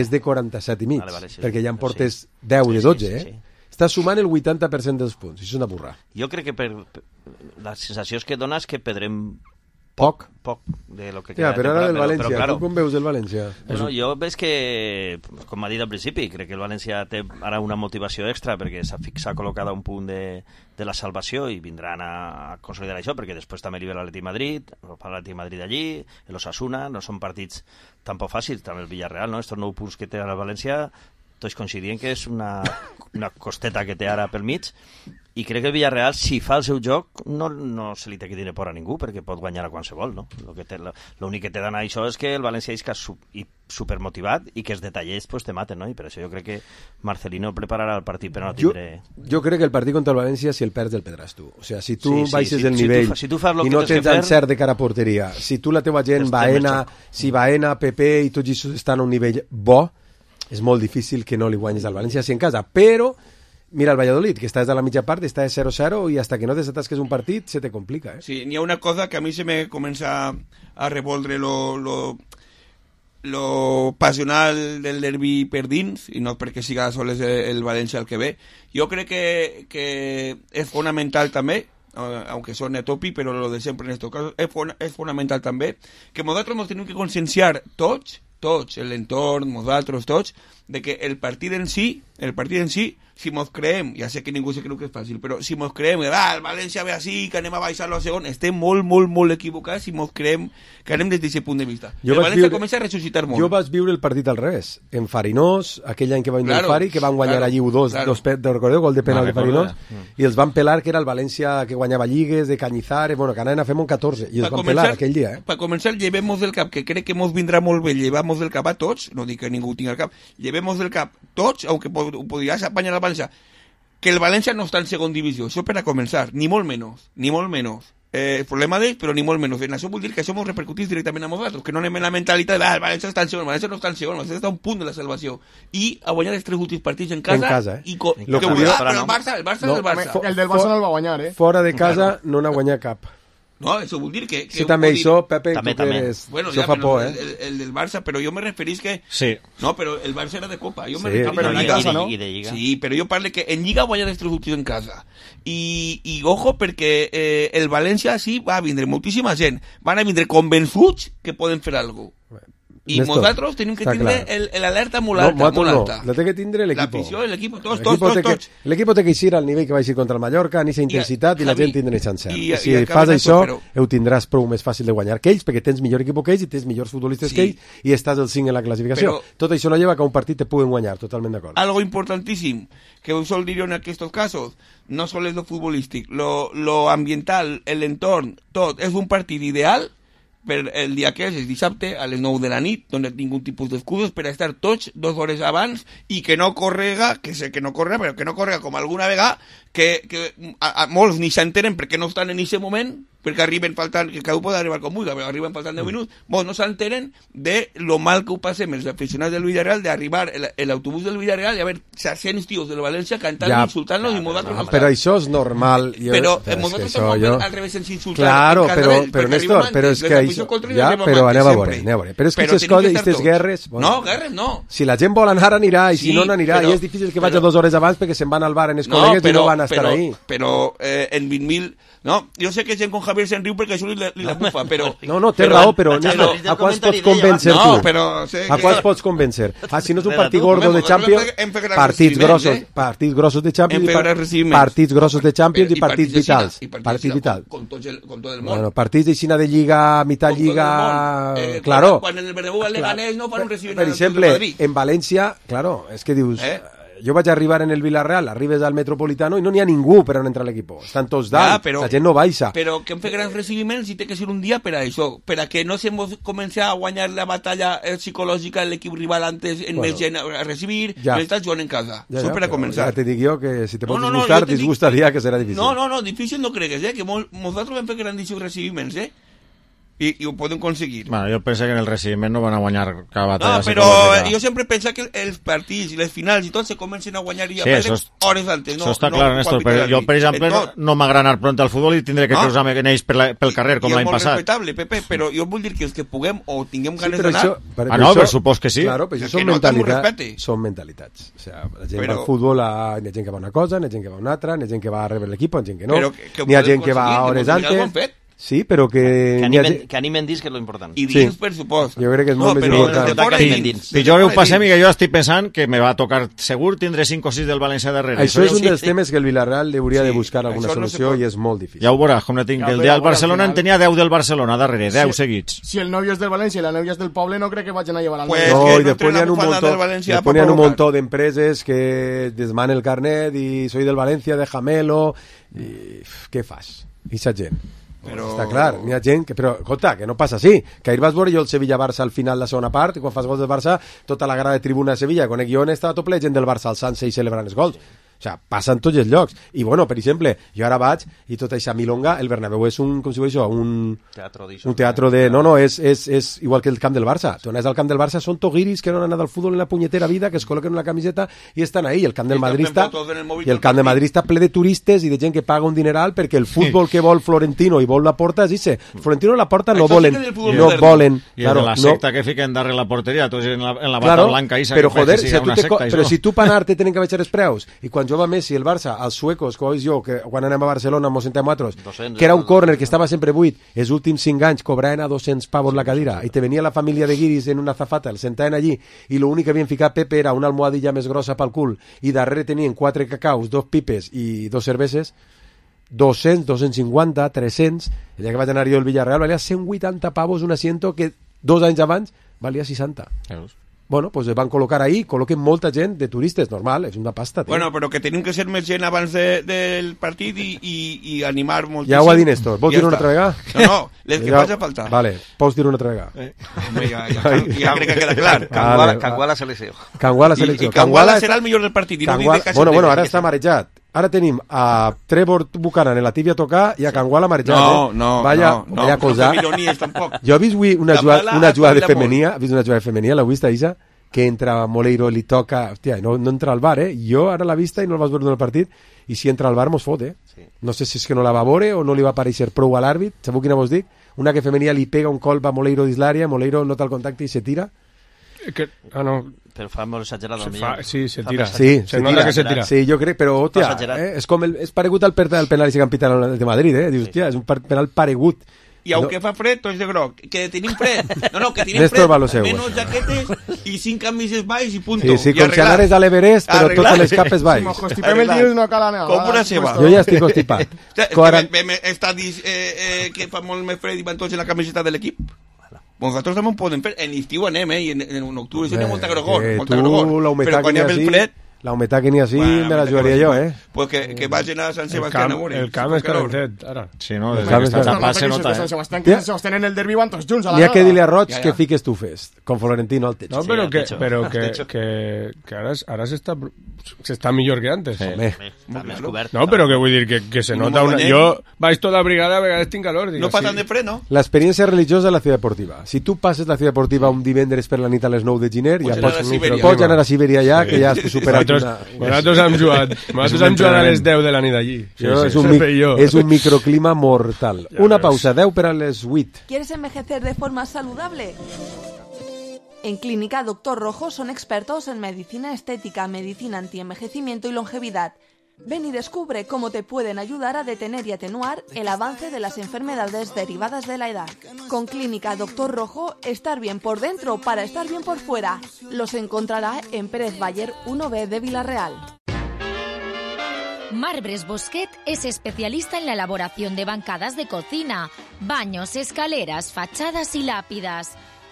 és de 47 i mig, perquè ja en portes 10 de 12, Estàs sumant el 80% dels punts, això és una burra. Jo crec que la sensació que dona és que perdrem poc de lo que queda. Però ara del València, claro, tu com veus el València? Bueno, jo veig que, com m'ha dit al principi, crec que el València té ara una motivació extra perquè s'ha col·locat a un punt de la salvació i vindran a consolidar això, perquè després també li ve l'Atlètic Madrid, l'Atlètic Madrid allí, l'Osasuna, no són partits tampoc fàcils, també el Villarreal, no? Estos 9 punts que té el València, tots coincidien que és una costeta que té ara pel mig, i crec que el Villarreal, si fa el seu joc, no se li té que tenir por a ningú, perquè pot guanyar a qualsevol, no? L'únic que té d'anar això és que el València és supermotivat i que els detallers pues, te maten, no? I per això jo crec que Marcelino prepararà el partit per no tindre... Jo crec que el partit contra el València, si el perds, el perdràs tu. O sigui, si tu baixes el nivell i no tens encert de cara a porteria, si tu la teva gent, Baena, Pepe i tots ells estan a un nivell bo, és molt difícil que no li guanyis al València si en casa, però mira el Valladolid, que està des de la mitja part, està de 0-0 i hasta que no desatasques un partit se te complica. Sí, n'hi ha una cosa que a mi se me comença a revoldre lo passional del derbi per dins, i no perquè siga sols el València el que ve. Jo crec que és fonamental també, aunque suene topi, pero lo de siempre en estos casos, es fundamental també, que nosaltres ens tenim que conscienciar tots, l'entorn, nosaltres tots, de que el partit en sí, si mos creem, ja sé que ningú se creu que és fàcil, però si mos creem que el València ve així, que anem a baixar-lo a segon, estem molt equivocats si mos creem que anem des d'aquest punt de vista. El València comença a ressuscitar molt. Jo vaig viure el partit al revés, en Farinós, aquell any que va vindre el Fari, que van guanyar allí 2, recordeu, gol de penal de Farinós, i els van pelar que era el València que guanyava lligues, de Cañizares, bueno, que anaven a fer un 14, i els van pelar aquell dia. Per començar, llevemos del cap, que crec que mos vindrà molt bé, llevamos del cap a tots, no dic que ningú tingui el cap, llevemos del cap tots, aunque podries apanyar el València, que el València no està en segon divisió, això per a començar, ni molt menys. El problema d'ells, però ni molt menys. En això vol dir que això ens repercutís directament a nosaltres, que no anem en la mentalitat de el València està en segon, el València no està en segon, el València està a un punt de la salvació. I a guanyar els 3 últims partits en casa. Però el Barça és el Barça. El del Barça no el va guanyar, Fora de casa no n'ha guanyat cap. No, això vol dir que... Sí, també això, Pepe, tu que eres... Bueno, això fa por, el del Barça, però jo me referís que... Sí. No, però el Barça era de Copa. Jo me I de Lliga. Sí, però jo parlo que en Lliga guanya els 3 últims en casa. I ojo, perquè el València sí va a vindre moltíssima gent. Van a vindre convençuts que poden fer alguna cosa. I Néstor, nosaltres tenim que està tindre clar. l'alerta molt alta, molt alta. La té que tindre l'equip. L'afició, l'equip, tots. L'equip té que eixir al nivell que va eixir contra el Mallorca, en aquesta intensitat, i la gent tindrà aquest encert. Si fas això, ho tindràs prou més fàcil de guanyar que ells, perquè tens millor equip que ells i tens millors futbolistes que ells, i estàs al 5 en la classificació. Tot això no lleva que un partit te puguen guanyar, totalment d'acord. Algo importantíssim, que us sol dir en aquests casos, no solo es lo futbolístic, lo ambiental, el entorn, tot, és un partit ideal per el dia que és dissabte a les 9 de la nit, on no tinc un tipus d'excuses per a estar tots 2 hores abans i que no correga, que sé que no corre, però que no correga com alguna vegada, que a molts ni s'entenen perquè no estan en aquest moment, perquè arriben faltant, que cada un pot arribar com vulgui, però arriben faltant 10 minuts, molts no s'entenen de lo mal que ho passem els aficionats del Villarreal, d'arribar l'autobús del Villarreal i haver 600 tios del València cantant, insultant-los i nosaltres... Però això és normal. Però nosaltres som al revés ens insultar. Claro, però Néstor, però és que però aneu a veure. Però és que aquestes coses, aquestes guerres... No, guerres no. Si la gent vol anar, anirà, i si no, n'anirà, i és difícil que vagi 2 hores abans perquè se'n van al bar en els col·legues i no van a estar ahí. Però en 20.000... No, jo sé que gent com Javier se'n riu perquè això li la bufa, però... No, té raó, però Néstor, a quants pots convèncer tu? No, però... A quants pots convèncer? Si no és un partit gordo de Champions, partits grossos de Champions, partits grossos de Champions i partits vitals. Partits vitals. Con tot el món. Bueno, partits d'aixina de Lliga, mitad Lliga... Claro. Quan en el Bernabéu el Leganés no fan un recibiment... Per exemple, en València, claro, és que dius... Jo vaig arribar en el Villarreal, arribes al Metropolitano i no n'hi ha ningú per on entrar a l'equip. Estan tots dalt, la gent no baixa. Però que hem fet grans recibiments i té que ser un dia per a això, per a que no se comenci a guanyar la batalla psicològica de l'equip rival antes en més gent a recibir, no estàs jugant en casa. Això per a començar. Ja te dic jo que si te pots disgustar, disgustaria que serà difícil. No, difícil no cregues, que nosaltres hem fet grandíssims recibiments, i ho poden aconseguir. Bueno, jo penso que en el recibiment no van a guanyar cada batalla. No, però jo sempre penso que els partits i les finals i tot se comencen a guanyar i a perdre hores antes. Això està clar, Néstor, però jo, per exemple, no m'agrada anar pront al futbol i tindré que cruzar-me en ells pel carrer, com l'any passat. És molt respectable, Pepe, però jo vull dir que els que puguem o tinguem ganes d'anar... No, per supos que sí. Claro, però això són mentalitats. O sigui, la gent va al futbol, hi ha gent que va a una cosa, hi ha gent que va a una altra, hi ha gent que va a rebre l'equip, hi ha gent que no, hi ha gent que va hores antes... Sí, però que... Que animen dins, que és lo important. I dins, per supost. Jo crec que és molt més important. Pitjor ho passem i que jo estic pensant que me va tocar segur tindre 5 o 6 del València darrere. Això és un dels temes que el Villarreal hauria de buscar alguna solució i és molt difícil. Ja ho veuràs, com no tinc. El del Barcelona en tenia 10 del Barcelona darrere, 10 seguits. Si el nòvio és del València i la nòvia és del poble, no crec que vagin a llevar al nòvio. No, i després n'hi ha un muntó d'empreses que desmanen el carnet i soy del València, déjamelo, i què fas? I sa gent. Però... Està clar, n'hi ha gent que... Però, escolta, que no passa així. Que ahir vas veure jo el Sevilla-Barça al final la segona part, i quan fas gols del Barça, tota la grada de tribuna de Sevilla, conec jo on estava tot ple gent del Barça alçant-se i celebrant els gols. O sigui, passa en tots els llocs. I, bueno, per exemple, jo ara vaig i tota aquesta milonga, el Bernabéu és un, com si ho això, un teatro de... No, és igual que el camp del Barça. Tu anaves al camp del Barça, són toguiris que no han anat al futbol en la punyetera vida, que es col·loquen una camiseta i estan ahí. El camp del Madrid està ple de turistes i de gent que paga un dineral perquè el futbol que vol Florentino i vol la Porta és ese. Florentino i la Porta no volen. No volen. I el de la secta que fiquen darrere la porteria, tu en la bata blanca isa, però joder, si tu per anar te tenen que baixar els preus, i quan jo va Messi el Barça, als suecos, com jo, que quan anem a Barcelona mos sentem altres, que era un córner que estava sempre buit, els últims 5 anys cobraven a 200 pavos la cadira, i te venia la família de guiris en una zafata, el sentaven allí, i l'únic que havien ficat Pepe era una almohadilla més grossa pel cul, i darrere tenien 4 cacaus, 2 pipes i 2 cerveses, 200, 250, 300, el dia que vaig anar jo al Villarreal valia 180 pavos un asiento que 2 anys abans valia 60. Bueno, pues es van col·locar ahí, col·loquen molta gent de turistes, normal, és una pasta, tio. Bueno, però que tenim que ser més gent abans del partit i animar moltíssim. Ja ho ha dit Néstor, vols dir-ho una altra vegada? No, les que faci falta. Vale, pots dir-ho una altra vegada. Ja crec que queda clar. Canguala selecció. Canguala selecció. I Canguala serà el millor del partit. Bueno, ara està marejat. Ara tenim a Trevor Buchanan en la tibia a tocar i a Canguala marejat. Vaya cosa. Jo he vist avui una jugada de femenia, l'heu vist, Isa? Que entra Moleiro, li toca... Hòstia, no entra al bar, Jo ara l'he vista i no el vas veure en el partit, i si entra al bar mos fot, No sé si és que no la va veure o no li va aparèixer prou a l'àrbit. Sabeu quina vos dic? Una que femenia li pega un colp a Moleiro dins l'àrea, Moleiro nota el contacte i se tira. No. Però fa molt exagerat el millor. Sí, se tira. Se nota que se tira. Sí, jo crec, però, hòstia, és com és paregut al penal i se campita de Madrid, Dius, hòstia, és un penal paregut. I aunque fa fred, tots de groc. Que tenim fred. No, que tenim Néstor fred. Baloseu. Menos jaquetes i 5 camises baix i punto. Sí, com si anares a l'Everest, però totes les capes baix. Si mos constipem el dilluns no cal anar. Com una ceba. Jo ja estic constipat. Està dit que fa molt més fred i van tots en la camiseta de l'equip. Nosaltres també ho podem fer. En estiu anem, i en octubre hi ha molta gregor. Però quan hi ha el fred... La humitat que n'hi ha així me la jugaria jo, Pues que vagin a Sant Sebastián a veure. El camp és calentet, ara. Sí, no? Des que està tapat se nota, Sant Sebastián, que Sant Sebastián en el derbi van tots junts a la N'hi ha que dir-li a Roig que fiques tu fes, con Florentino al techo. No, però que ara s'està millor que antes. No, però que vull dir que se nota una... Jo vaig tota la brigada, a vegades tinc calor. No fa tant de fred, no? L'experiència religiosa de la ciutat deportiva. Si tu passes la ciutat deportiva un divendres per la nit a les 9 de gener, ja pots anar a Sibèria ja, que ja has superat nosaltres hem jugat a les 10 de la nit allí. És un microclima mortal. Una pausa, 10 per a les 8. ¿Quieres envejecer de forma saludable? En Clínica Doctor Rojo son expertos en medicina estética, medicina antienvejecimiento y longevidad. Ven y descubre cómo te pueden ayudar a detener y atenuar el avance de las enfermedades derivadas de la edad. Con Clínica Doctor Rojo, estar bien por dentro para estar bien por fuera. Los encontrará en Pérez Bayer 1B de Villarreal. Marbres Bosquet es especialista en la elaboración de bancadas de cocina, baños, escaleras, fachadas y lápidas.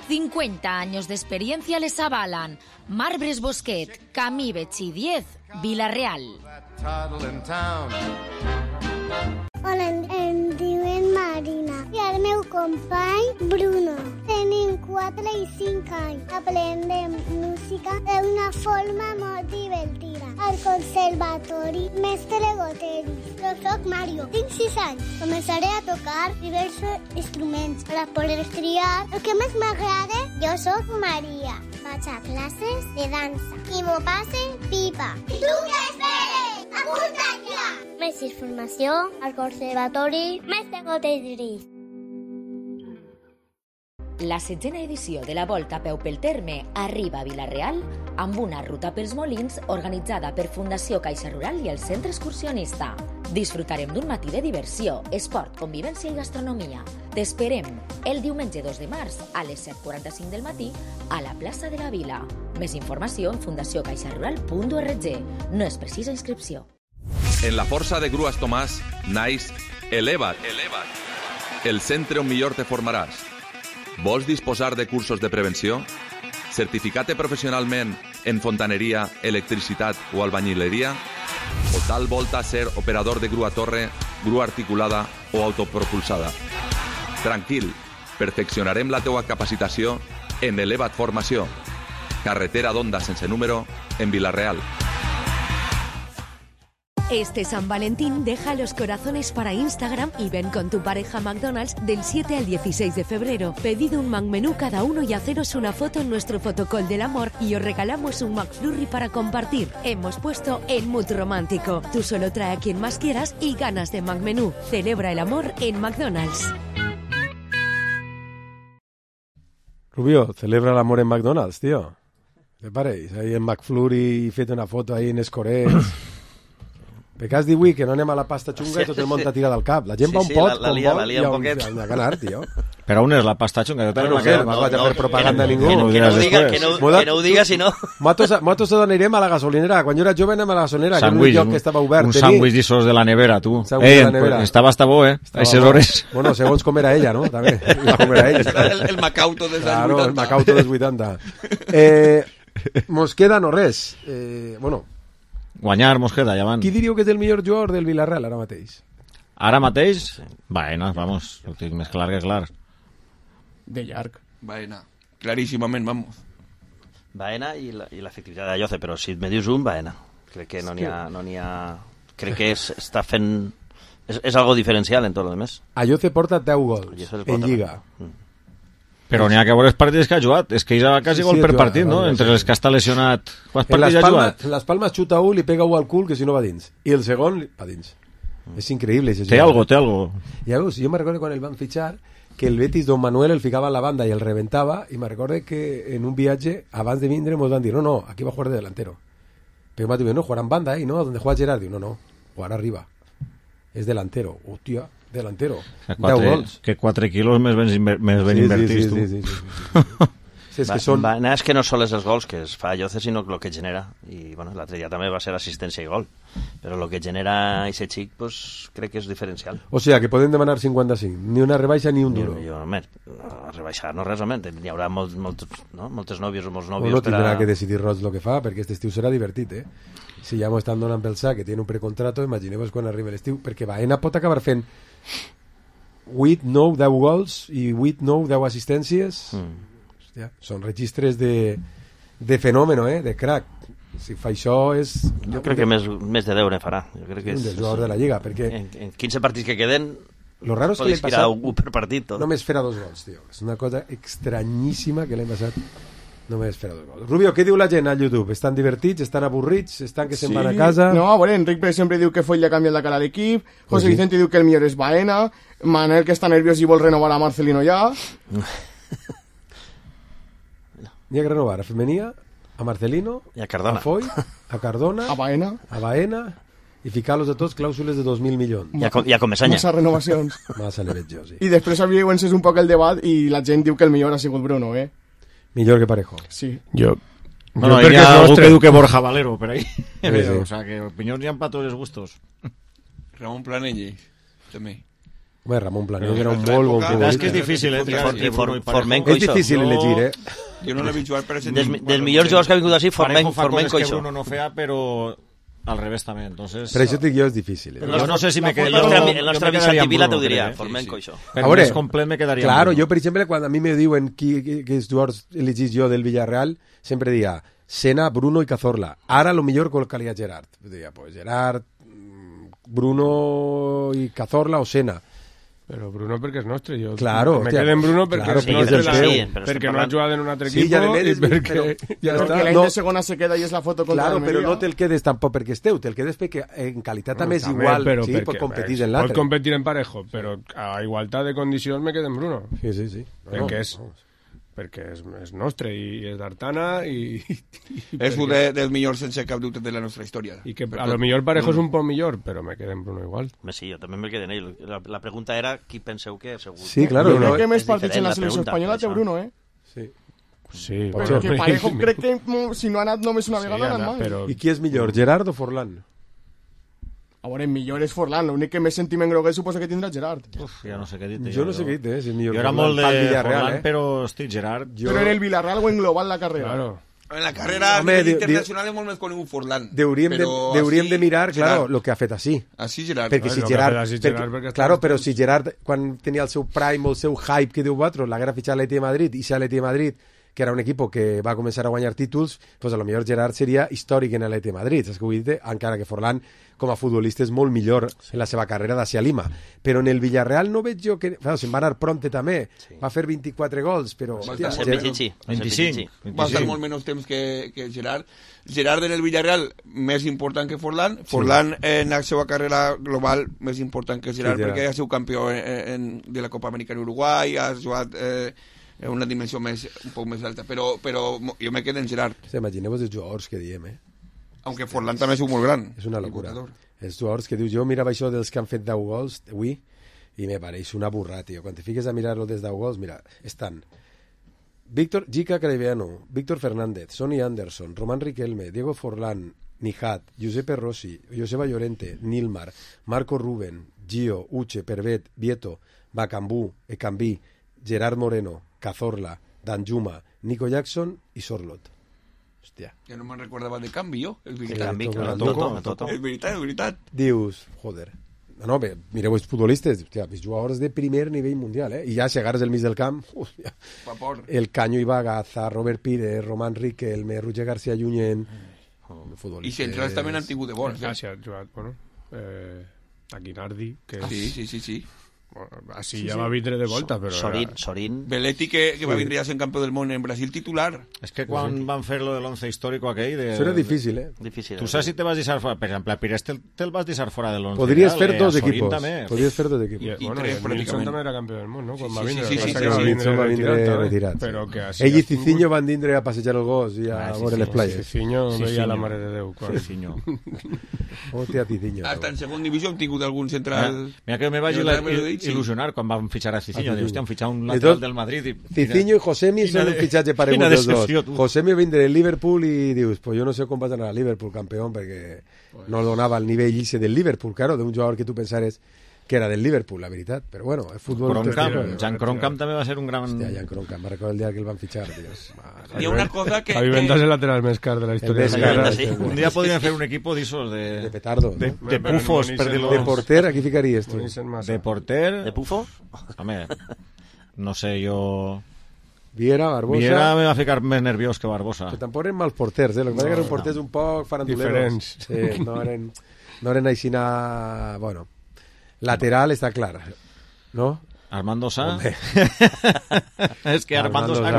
50 años de experiencia les avalan. Marbres Bosquet, Camí Betxí 10, Villarreal. Hola, em diuen Marina i el meu company Bruno. Tenim 4 i 5 anys. Aprendem música d'una forma molt divertida. Al conservatori Mestre Goteris. Jo soc Mario, tinc 6 anys. Començaré a tocar diversos instruments per a poder triar el que més m'agrada. Jo soc Maria. Vaig a classes de dansa i m'ho passe pipa. I tu què esperes? Apunta't ja! Més informació al Conservatori Mestre Goteris. La 7ª edició de la Volta a peu pel terme arriba a Vila-real amb una ruta pels Molins organitzada per Fundació Caixa Rural i el Centre Excursionista. Disfrutarem d'un matí de diversió, esport, convivència i gastronomia. T'esperem el diumenge 2 de març a les 7:45 del matí a la plaça de la Vila. Més informació en fundaciocaixarural.org. No és precisa inscripció. En la força de Grues Tomàs naix Eleva't, el centre on millor te formaràs. Vols disposar de cursos de prevenció? Certificar-te professionalment en fontaneria, electricitat o albañileria? O tal volta ser operador de grua torre, grua articulada o autopropulsada? Tranquil, perfeccionarem la teua capacitació en Eleva't Formació. Carretera d'Onda sense número en Vila-real. Este San Valentín deja los corazones para Instagram y ven con tu pareja a McDonald's del 7 al 16 de febrero. Pedid un McMenú cada uno y haceros una foto en nuestro fotocall del amor y os regalamos un McFlurry para compartir. Hemos puesto el mood romántico. Tú solo trae a quien más quieras y ganas de McMenú. Celebra el amor en McDonald's. Rubio, celebra el amor en McDonald's, tío. ¿Te parece? Ahí en McFlurry, fete una foto ahí en Escorets. Perquè has dit avui que no anem a la pasta xunga i tot el món t'ha tirat al cap. La gent va un pot, com vol, i ha ganar, tio. Però on és la pasta xunga? No sé, no vaig a fer propaganda a ningú. Que no ho diga, si no... Nosaltres anirem a la gasolinera. Quan jo era jove anem a la gasolinera, que era un lloc que estava obert. Un sàndwich d'issos de la nevera, tu. Estava hasta bo, a aquestes hores. Bueno, segons com era ella, no? També. Com era ella. El Macauto dels 80. Claro, el Macauto dels 80. Mos queda no res. Bueno... Guanyar, Mosqueda, ja van. Qui diríeu que és el millor jugador del Villarreal ara mateix? Ara mateix? Baena, vamos, ho tinc més clar que clar. De llarg. Baena, claríssimament, vamos. Baena i l'efectivitat de Lloce, però si et me dius un, Baena. Crec que no n'hi ha... Crec que està fent... És algo diferencial en tot el més. Lloce porta 10 gols en Lliga. Però n'hi ha que veure els partits que ha jugat. És que ha quasi gol per partit, no? Entre els que està lesionat. Quants partits ha jugat? En les Palmes xuta un, li pega un al cul, que si no va dins. I el segon va dins. És increïble. Té algo. Ja veus, jo me recordo quan el van fitxar que el Betis Don Manuel el ficava en la banda i el reventava, i me recordo que en un viatge, abans de vindre, ens van dir, no, aquí va a jugar de delantero. Però m'ha dit, no, jugarà en banda, ¿no? Donde juega Gerard? Diu, no, jugarà arriba. És delantero. Hòstia, delantero. 10 gols. Que 4 quilos més ben invertits, tu. Sí. Sí, és que no sols els gols que es fa Lloce, sinó el que genera. I bueno, l'altre dia també va ser assistència i gol. Però el que genera aquest xic, pues, crec que és diferencial. O sigui, que podem demanar 55. Ni una rebaixa ni un duro. Rebaixar no res, home. Hi haurà moltes nòvies o molts nòvios. No tindrà que decidir Roig el que fa, perquè aquest estiu serà divertit, Si ja m'ho estan donant pel sac, que tiene un precontrato, imagineu-vos quan arriba l'estiu, perquè Baena pot acabar fent 8, 9, 10 gols i 8, 9, 10 assistències. Hòstia, són registres de fenòmen, de crack. Si fa això és... Jo crec que més de 10 ne farà. Jo crec que és un dels jugadors de la Lliga, perquè... En 15 partits que queden... Lo raro és que l'any passat... un per partit, tot. Només farà 2 gols, tio. És una cosa estranyíssima que l'any passat només farà 2 gols. Rubio, què diu la gent a YouTube? Estan divertits? Estan avorrits? Estan que se'n van a casa? No, a veure, Enric sempre diu que Foll li ha canviat la cara a l'equip, José Vicente diu que el millor és Baena, Manel que està nerviós i vol renovar a Marcelino ja... N'hi ha que renovar a Femenia, a Marcelino, a Cardona, a Foy, a Cardona, a Baena i ficar-los a tots clàusules de 2.000 milions. I a Comesanya. Massa renovacions. Massa le veig jo, sí. I després havia encès un poc el debat i la gent diu que el millor ha sigut Bruno, Millor que Parejo. Sí. Bueno, hi ha algú que diu que Borja Valero, per ahí. O sea, que opinions hi ha para todos los gustos. Ramon Planell, també. Home, Ramon Planell era un molt bon futbolista. És que és difícil, És difícil elegir, Jo no l'he vist jugar per ese dels millors jugadors que ha vingut així, Formenco que això. Bruno no feia, però al revés també, entonces... Per això dic jo, és difícil. Jo no sé si me quedaria... El nostre amic Santi Vila t'ho diria, Formenco això. Per més complet me quedaria... Claro, jo, per exemple, quan a mi me diuen quins jugadors elegís jo del Villarreal, sempre diria Sena, Bruno i Cazorla. Ara, lo millor col·locaria Gerard. Diria, pues Gerard, Bruno i Cazorla o Sena. Però Bruno perquè és nostre, jo claro, me quedo en Bruno perquè és nostre, perquè no ha jugat en un altre equip i perquè ja està. L'any de segona se queda i és la foto contra Almeria. Però no te'l quedes tampoc perquè esteu, te'l quedes perquè en qualitat també és igual, sí, pot competir en l'altre. Pot competir en Parejo, però a igualtat de condicions me quedo en Bruno. Sí. Perquè és nostre i és d'Artana i és un dels millors sense cap dubte de la nostra història. I que a lo millor Parejo és un poc millor, però me quedo en Bruno igual. Sí, jo també me quedo en ell. La pregunta era qui penseu que segur. Sí, claro. Crec que més partits en la selecció espanyola té Bruno, Sí. Però que Parejo crec que si no ha anat només una vegada ha anat mal. I qui és millor, Gerard o Forlán? A veure, millor és Forlán, l'únic que més sentiment groguer suposa que tindrà Gerard. Ja no sé què dir. Jo no sé què dir, si és millor. Jo era molt de Forlán, però, hosti, Gerard... Però en el Villarreal o en global la carrera? Claro. En la carrera internacional és molt més conegut Forlán. Deuríem de mirar, claro, lo que ha fet així. Així Gerard. Perquè si Gerard... Claro, però si Gerard, quan tenia el seu prime o el seu hype que diu vosaltres, l'haguera fitxat a l'Atleti de Madrid, i si a l'Atleti de Madrid, que era un equip que va començar a guanyar títols, pues a lo millor Gerard seria històric en l'Atleti de Madrid, saps què vull dir? Encara que Forlán com a futbolista és molt millor en la seva carrera d'Asia Lima, però en el Villarreal no veig jo que... Se'n va anar Pronte també, va fer 24 gols, però... Va estar 25. Va estar molt menys temps que Gerard. Gerard en el Villarreal més important que Forlán, Forlán en la seva carrera global més important que Gerard, perquè ha sigut campió de la Copa Americana Uruguai, ha jugat en una dimensió un poc més alta, però jo me quedo en Gerard. Imagineu-vos els jugadors que diem, Aunque Forlán també és molt gran. És una locura. Els jugadors que dius, jo mirava això dels que han fet 10 gols avui i me pareix una burra, tio. Quan te fiques a mirar-lo des 10 gols, mira, estan Víctor Gica Carabiano, Víctor Fernández, Sonny Anderson, Román Riquelme, Diego Forlán, Nijat, Giuseppe Rossi, Joseba Llorente, Nilmar, Marco Ruben, Gio, Uche, Pervet, Vieto, Bacambú, Ecambí, Gerard Moreno, Cazorla, Danjuma, Nico Jackson i Sorlot. Hòstia. Ja no me'n recordava de Canvi, jo. És veritat. Dius, joder. No, bé, mireu els futbolistes, hòstia, els jugadors de primer nivell mundial, I ja si agarres el mig del camp, hòstia, el Caño Ibagaza, Robert Pires, Román Riquelme, Roger García Junyent, I centrals també n'han tingut de bons. Gràcies, jugat, bueno, Aguinaldi, que és... Sí. Així ja va vindre de volta, però... Sorín... Belletti, que va vindre ja sent campió del món en Brasil titular. És que quan van fer lo de l'11 històric aquell... Això era difícil, Difícil. Tu saps si te vas deixar fora... Per exemple, a Pires te'l vas deixar fora de l'11. Podries fer dos equipos. Podries fer dos equipos. I Nilsson també era campió del món, no? Quan va vindre. Nilsson va vindre retirat. Ell i Cicinho van vindre a passejar el gos i a veure les playes. Cicinho veia la mare de Déu. Cicinho. Hòstia, Cicinho. Hasta en segon divisió hem tingut algun central... Mira que me vaig il·lusionar quan vam fitxar a Cicinho. Hòstia, han fitxat un lateral del Madrid. Cicinho i Josemi són un fitxatge paregut dels dos. Josemi vindre del Liverpool i dius, pues yo no sé com vas anar a Liverpool campeón perquè no donava el nivell ese del Liverpool, claro, d'un jugador que tu pensares que era del Liverpool, la veritat, però bueno, el futbol... Jan Kroenkamp també va ser un gran... Hòstia, Jan Kroenkamp, me recordo el dia que el van fitxar, dios. Hi ha una cosa que... Javi Venta és el lateral més car de la història. Un dia podríem fer un equip d'esos de petardo, de pufos, per dir-lo. De porter, aquí ficaries tu. De porter... De pufo? Home, no sé, jo... Viera, Barbosa... Viera me va ficar més nerviós que Barbosa. Que tampoc eren mals porters, el que passa que eren porters un poc faranduleros. Diferents. No eren aixina... Bueno, lateral està clar, no? Armando Sá. És que Armando Sá...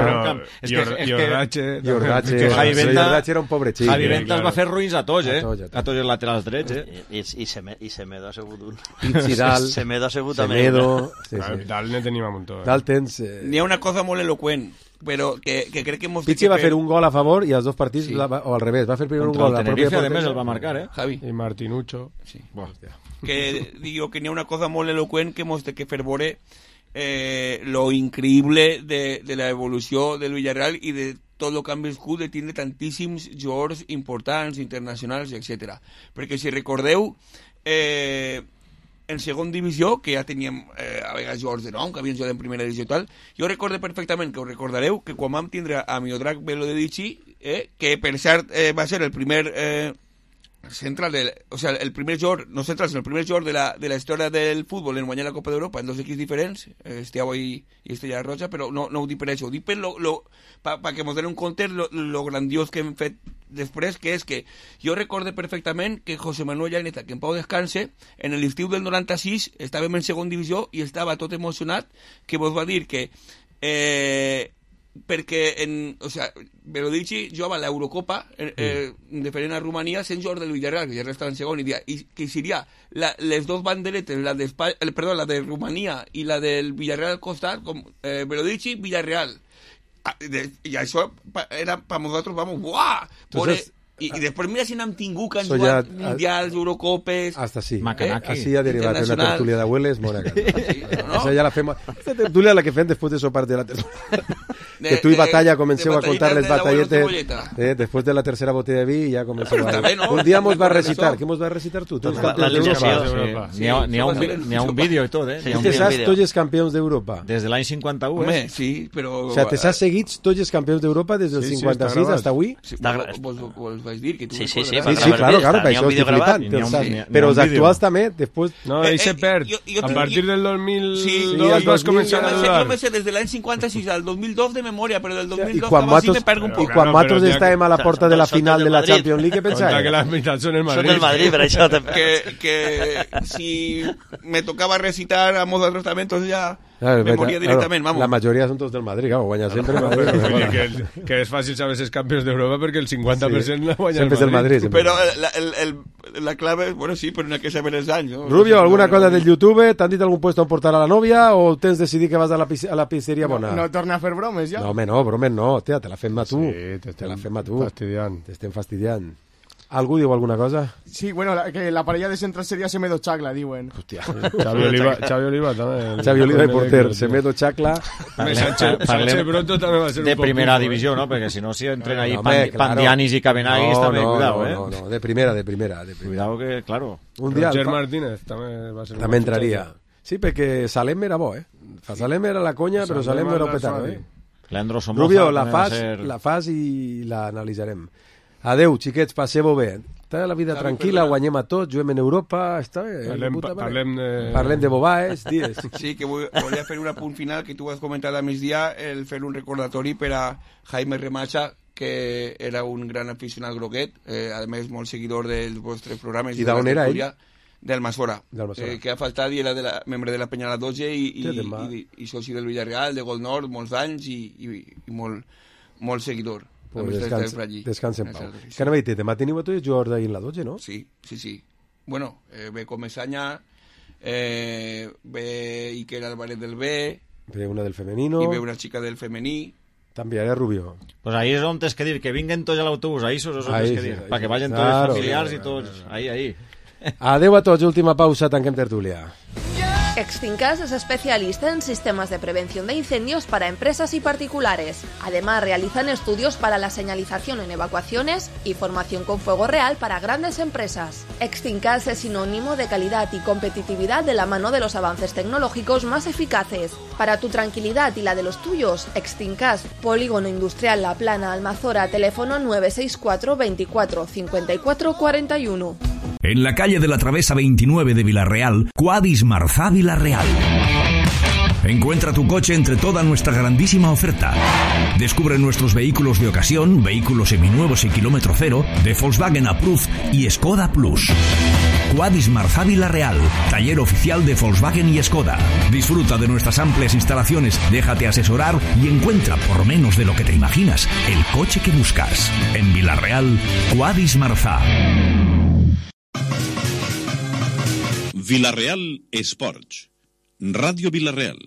Jordache... Jordache era un pobre xic. Javi Ventas va fer ruïns a tots, a tots els laterals drets, I Semedo ha sigut un... Pizzidal. Semedo ha sigut també. Dalt ne tenim un muntó. Dalt tens... N'hi ha una cosa molt eloqüent, però que crec que... Pizzi va fer un gol a favor i els dos partits, o al revés, va fer primer un gol a la pròpia porteria. Contra el Tenerife, a més, el va marcar, Javi. I Martinucho. Sí. Que digo que n'hi ha una cosa molt eloqüent que mos té que fer veure lo increïble de la evolució del Villarreal i de tot el que han viscut de tindre tantíssims jugadors importants, internacionals, etc. Perquè si recordeu, en segon divisió, que ja teníem a vegades jugadors de nom, que havien jugat en primera divisió i tal, jo recorde perfectament, que us recordareu, que quan vam tindre a Miodrag Belodedici, que per cert va ser el primer... central o sea, el primer jugador, no central, sino el primer jugador de la història del futbol en guanyar la Copa d'Europa en dos equips diferents, Estiago i Estrella Roja, però no ho dic per això, ho dic per perquè ens donen un compte lo grandiós que hem fet després, que és que jo recorde perfectament que José Manuel Llaneta, que en pau descanse, en l'estiu del 96 estàvem en segon divisió i estava tot emocionat, que vos va dir que perquè Belodici jugava a l'Eurocopa diferent a Romania sent jugador del Villarreal, que ja estava en segon, i que seria les dos banderetes, la de Romania i la del Villarreal al costat, com Belodici, Villarreal, i això era per nosaltres, vamos, uah, i després mira si n'hem tingut que han jugat mundials, Eurocopes... Hasta sí. Macanaki. Así ha derivat una tertúlia d'abueles molt agradable. Esa ja la fem... Esta tertúlia la que fem després de sopar de la tertúlia. Que tu i Batalla comenceu a contar les batalletes després de la tercera botella de vi i ja comenceu a... Un dia mos va recitar. Què mos va recitar tu? N'hi ha un vídeo i tot, Te saps tots els campions d'Europa? Des de l'any 51, Home, sí, però... O sea, te saps seguits tots els campions d'Europa des del 56 fins avui? Vos vaig dir que tu... Sí, claro, per això estic flipant. Però els actuals també, després... No, ell se perd. A partir del 2002 vas començar a dudar. Jo me sé des de l'any 56 al 2002 de memòria, però del 2002 sí me perdo un poc. I quan nosaltres estàvem a la porta de la final de la Champions League, què pensàvem? Que la meitat són el Madrid. Són el Madrid, per això que si me tocava recitar a modo de tratamiento ya me moría directament, vamos. La majoria són tots del Madrid, claro, guanya sempre. Que és fàcil saber els campions d'Europa perquè el 50% la guanya sempre el Madrid. Però la clave, bueno, sí, però no hay que saber els anys. Rubio, ¿alguna cosa del YouTube? ¿T'han dit algun puesto on portar a la novia o tens decidit que vas a la pizzeria bona? No torna a fer bromes, ja? No, home, no, bromes no, tia, te la fem a tu. Sí, te la fem a tu. T'estem fastidiant. Algú diu alguna cosa? Sí, bueno, que la parella de central seria Semedo Chacla, diuen. Hòstia. Xavi Oliva també. Xavi Oliva i porter, Semedo Chacla. Sánchez Broto també va ser un de primera divisió, no? Perquè si no, si entren ahí Pandianis i Cabenagis, també, cuidado, No, de primera. Cuidado que, claro. Roger Martínez també va ser un... També entraria. Sí, perquè Salem era bo, Salem era la conya, però Salem era un petardo, Leandro Somoza. Rubio, la fas i l'analitzarem. Adeu, xiquets, passeu-ho bé. Està la vida tranquil·la, guanyem a tots, juguem en Europa, està bé. Parlem de bobaes, dies. Sí, que volia fer un apunt final que tu has comentat a migdia, el fer un recordatori per a Jaime Remacha, que era un gran aficionat groguet, a més molt seguidor dels vostres programes. I d'on era ell? d'Almassora, que ha faltat i era membre de la Penya La Doge i soci del Villarreal, de Gol Nord, molts anys i molt seguidor. Pues descansa en pau. Que anava a dir, demà teniu a tots els jugadors d'ahir en La Doge, no? Sí. Bueno, ve Comesaña, ve Iker Álvarez del B, ve una del femenino i ve una xica del femení. També era Rubio. Pues ahí es on tens que dir, que vinguen tots a l'autobús, ahí és on tens que dir, para que vayan tots els familiars i tots, ahí. Adeu a tots, última pausa, tanquem tertúlia. Extincas es especialista en sistemas de prevención de incendios para empresas y particulares. Además, realizan estudios para la señalización en evacuaciones y formación con fuego real para grandes empresas. Extincas es sinónimo de calidad y competitividad de la mano de los avances tecnológicos más eficaces. Para tu tranquilidad y la de los tuyos, Extincas, Polígono Industrial La Plana, Almazora, teléfono 964 24 54 41. En la calle de la Travesa 29 de Villarreal, Quadis Marzá Villarreal. Encuentra tu coche entre toda nuestra grandísima oferta. Descubre nuestros vehículos de ocasión, vehículos seminuevos y kilómetro cero, de Volkswagen Approved y Skoda Plus. Quadis Marzá Villarreal, taller oficial de Volkswagen y Skoda. Disfruta de nuestras amplias instalaciones, déjate asesorar y encuentra, por menos de lo que te imaginas, el coche que buscas. En Villarreal, Quadis Marzá. Villarreal Esports. Ràdio Villarreal.